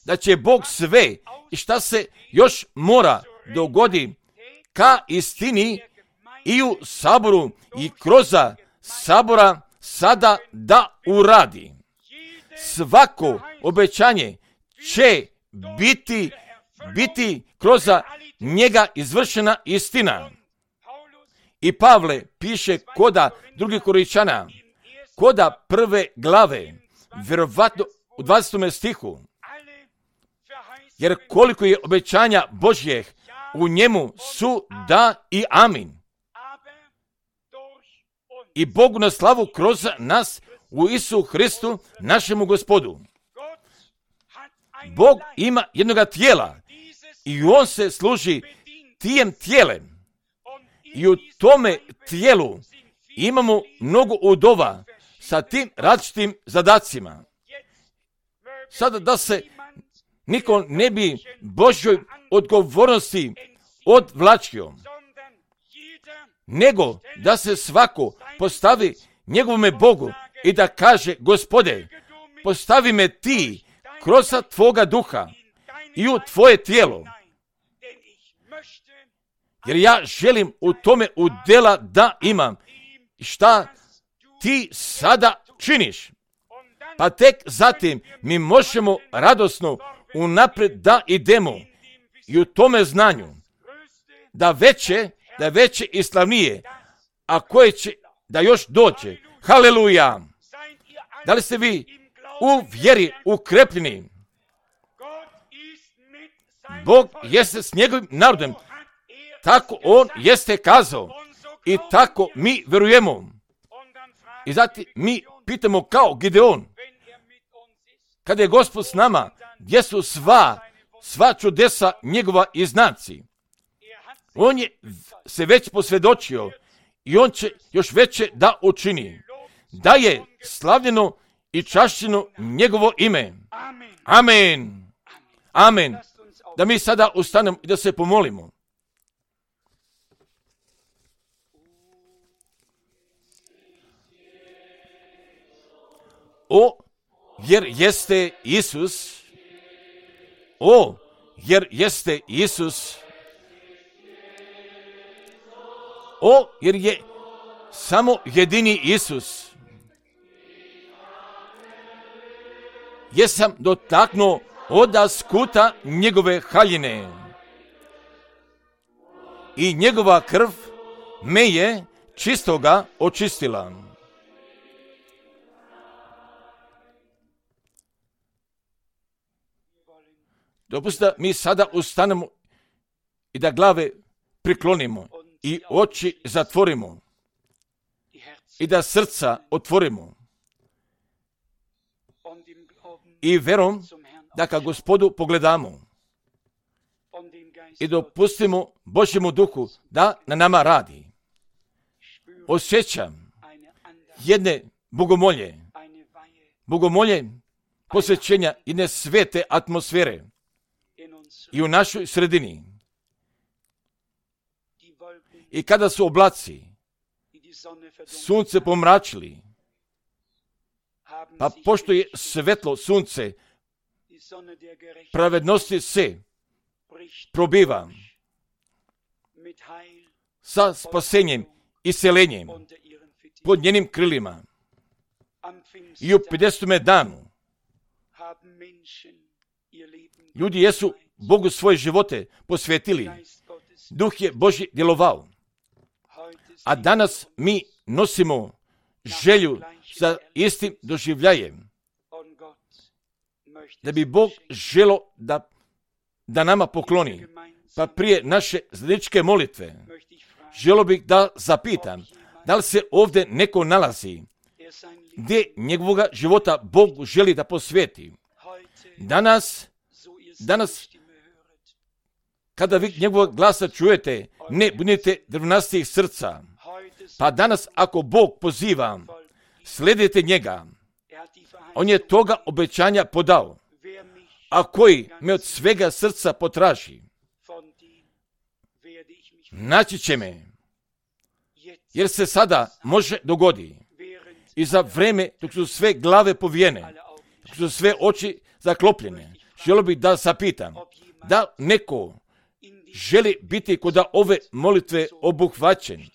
da će Bog sve i šta se još mora dogodi ka istini i u saboru i kroz sabora sada da uradi. Svako obećanje će biti kroz njega izvršena istina. I Pavle piše koda 2. Korinčana, koda 1. glave, vjerovatno u 20. stihu, jer koliko je obećanja Božjeh, u njemu su da i amin. I Bogu na slavu kroz nas u Isu Hristu, našemu Gospodu. Bog ima jednoga tijela i On se služi tijem tijelem. I u tome tijelu imamo mnogo udova sa tim različitim zadacima. Sada da se niko ne bi Božjoj odgovornosti odvlačio, nego da se svako postavi njegovome Bogu i da kaže: Gospode, postavi me ti kroz tvoga duha i u tvoje tijelo, jer ja želim u tome udjela da imam šta ti sada činiš. Pa tek zatim mi možemo radosno unaprijed da idemo i u tome znanju da veće i slavnije, a koje će da još dođe. Haleluja! Da li ste vi u vjeri ukrepljeni? Bog jeste s njegovim narodom, tako On jeste kazao i tako mi vjerujemo. I zatim mi pitamo kao Gideon, kada je Gospod s nama, gdje su sva čudesa njegova i znaci? On je se već posvjedočio i On će još veće da učini, da je slavljeno i čašćeno njegovo ime. Amen. Amen. Da mi sada ustanemo i da se pomolimo. jer jeste Isus, jer jeste Isus, jer je samo jedini Isus. Jesam dotaknuo oda skuta njegove haljine i njegova krv me je čistoga očistila. Dopustite da mi sada ustanemo i da glave priklonimo i oči zatvorimo i da srca otvorimo i verom da ka Gospodu pogledamo i dopustimo Božjemu duhu da na nama radi. Osjećam jedne bogomolje posvećenja jedne svete atmosfere i u našoj sredini. I kada su oblaci sunce pomračili, pa pošto je svetlo sunce pravednosti se probiva sa spasenjem i selenjem pod njenim krilima. I u 50. danu ljudi jesu Bogu svoje živote posvetili. Duh je Božji djelovao. A danas mi nosimo želju za istim doživljajem. Da bi Bog želo da nama pokloni. Pa prije naše zajedničke molitve želo bih da zapitam da li se ovdje neko nalazi gdje njegovoga života Bog želi da posveti. Danas kada vi njegovog glasa čujete, ne budite drvnastih srca. Pa danas ako Bog poziva, slijedite njega. On je toga obećanja podao. A koji me od svega srca potraži, naći će me. Jer se sada može dogodi. I za vreme dok su sve glave povijene, dok su sve oči zaklopljene, želio bih da zapitam da neko želi biti kod ove molitve obuhvaćen.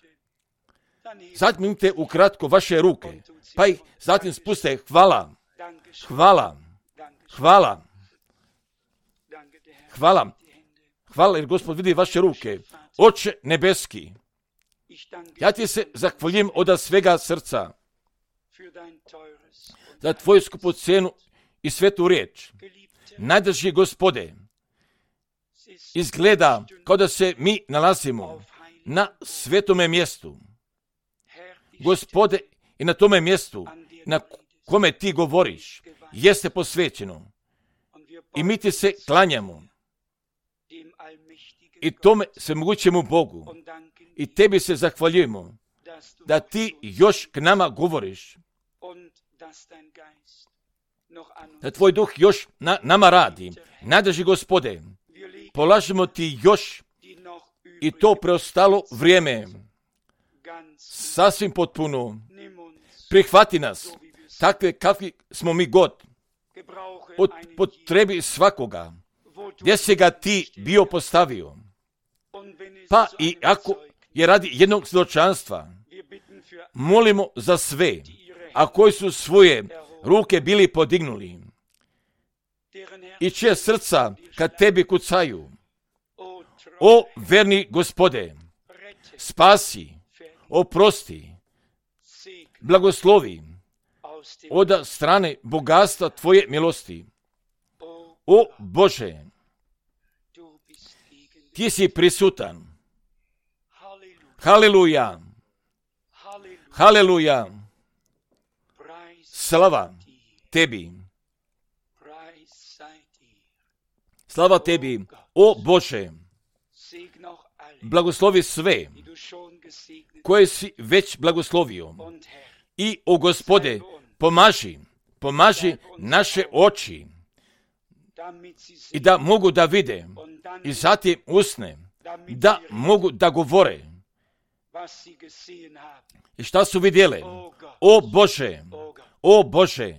Zatim ukratko vaše ruke, pa ih zatim spuste. Hvala jer Gospod vidi vaše ruke. Oče nebeski, ja ti se zahvaljujem od svega srca za tvoju skupocenu i svetu riječ. Najdraži Gospode, izgleda kao da se mi nalazimo na svetome mjestu. Gospode, i na tome mjestu na kome ti govoriš jeste posvećeno. I mi ti se klanjamo. I tome se mogućemo Bogu. I tebi se zahvaljujemo da ti još k nama govoriš. Da tvoj duh još nama radi. Najdraži Gospode, polažemo ti još i to preostalo vrijeme sasvim potpuno. Prihvati nas, takve kakvi smo mi god. Potrebi svakoga, gdje si ga ti bio postavio. Pa i ako je radi jednog svjedočanstva, molimo za sve, a koji su svoje ruke bili podignuli i čije srca kad tebi kucaju. O verni Gospode, spasi, oprosti, blagoslovi od strane bogatstva tvoje milosti. O Bože, ti si prisutan. Haleluja, haleluja, slava tebi. Slava tebi, o Bože, blagoslovi sve koje si već blagoslovio. I o Gospode, pomaži naše oči i da mogu da vide i zatim usne, da mogu da govore. I šta su vidjele? O Bože,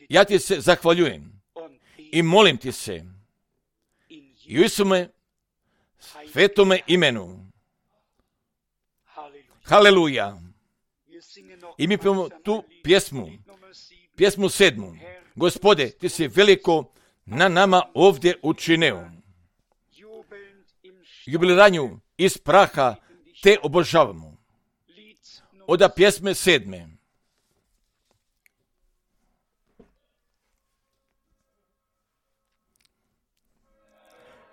Ja ti se zahvaljujem i molim ti se i u Isume svetome imenu. Haleluja. I mi pijemo tu pjesmu 7. Gospode, ti si veliko na nama ovdje učinio. Jubileranju iz praha te obožavamo. Oda pjesme 7.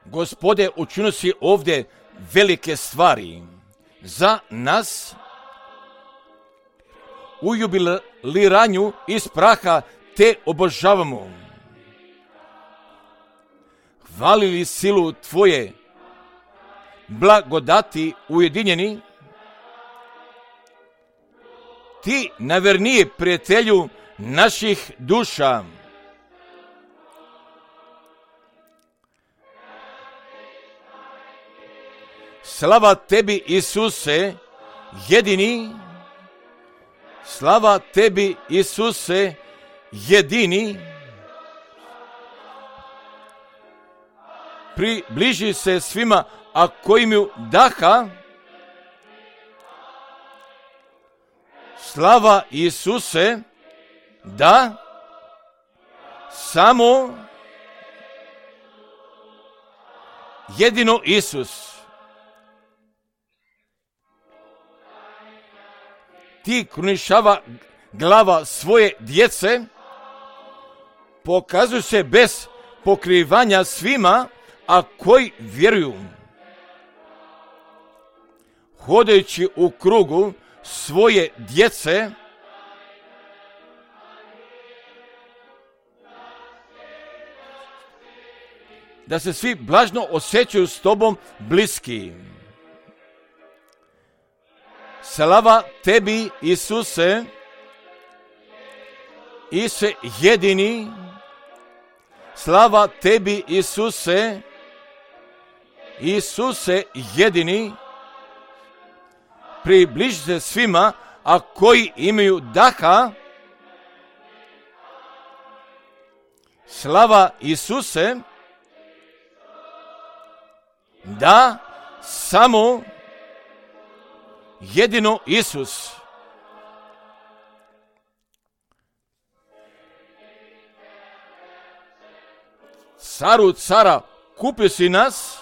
Gospode, učinio si ovdje velike stvari za nas. U jubiliranju iz praha te obožavamo. Hvalili silu tvoje, blagodati ujedinjeni, ti najverniji prijatelju naših duša. Slava tebi, Isuse, jedini, slava tebi, Isuse, jedini. Približi se svima, a koji imaju daha. Slava Isuse, da, samo jedino Isus. Ti krunišava glava svoje djece, pokazuju se bez pokrivanja svima, a koji vjeruju. Hodajući u krugu svoje djece, da se svi blažno osjećaju s tobom bliski. Slava tebi, Isuse, Isuse jedini, slava tebi, Isuse, Isuse jedini, približi se svima, a koji imaju daha. Slava Isuse, da, samo jedino Isus. Caru cara, kupio si nas,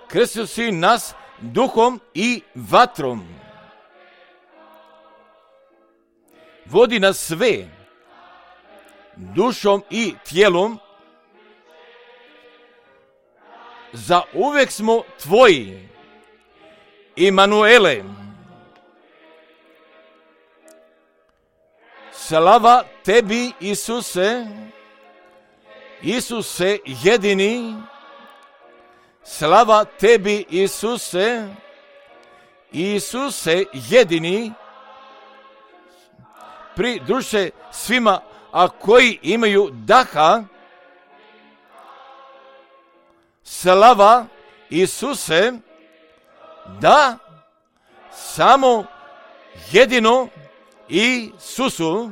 krstio si nas duhom i vatrom. Vodi nas sve, dušom i tijelom. Za uvijek smo tvoji, Imanuele. Slava tebi, Isuse, Isuse jedini, slava tebi, Isuse, Isuse jedini, pridruži se svima, a koji imaju daha. Slava Isuse, da, samo jedino Isusu.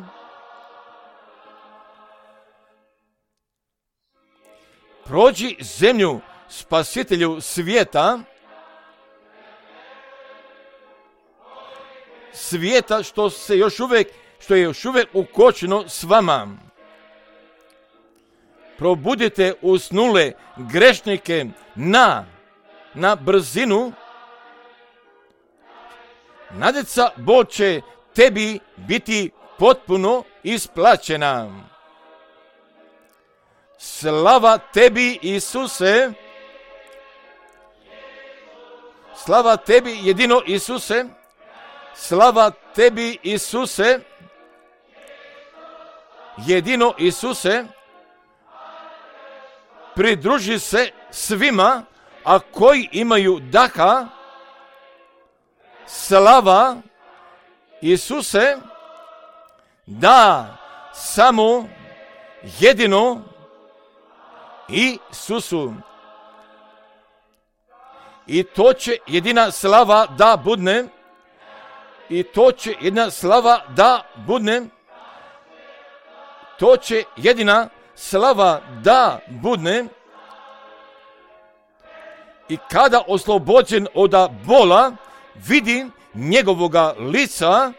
Prođi zemlju, spasitelju svijeta, što je još uvijek ukočeno s vama. Probudite usnule grešnike na brzinu. Nadeca Bog će tebi biti potpuno isplaćena. Slava tebi, Isuse, slava tebi jedino Isuse, slava tebi, Isuse, jedino Isuse, pridruži se svima, a koji imaju daha. Slava Isuse, da, samo jedino Isusu. I to će jedina slava da budne, i to će jedna slava da budne, to će jedina slava da budne. I kada oslobođen od bola vidim njegovoga lica,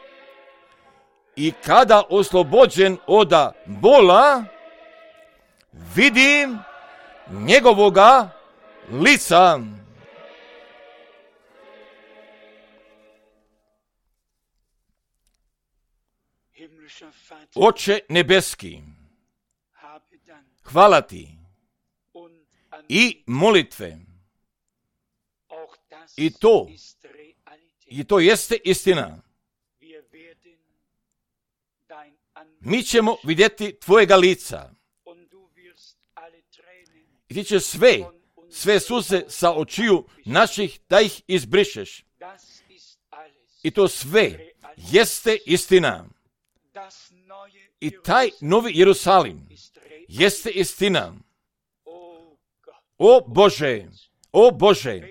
i kada oslobođen od bola vidim njegovoga lica. Oče nebeski, hvala ti i molitve. I to jeste istina. Mi ćemo vidjeti tvojega lica. I ti će sve suze sa očiju naših da ih izbrišeš. I to sve jeste istina. I taj novi Jerusalim jeste istina. O Bože,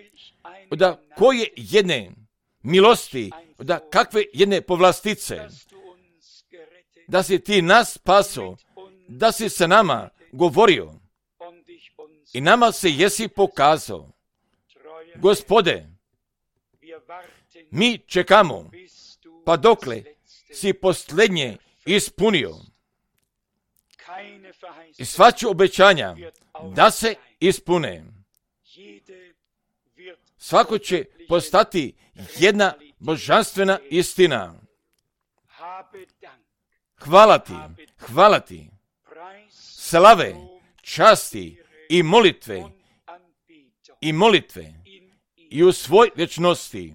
da koje jedne milosti, da kakve jedne povlastice, da si ti nas spaso, da si sa nama govorio i nama se jesi pokazao. Gospode, mi čekamo, pa dokle si posljednje ispunio. I svaču obećanja da se ispune. Svako će postati jedna božanstvena istina. Hvala ti. Slave, časti i molitve i u svoj vječnosti.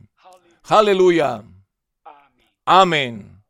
Haleluja. Amen.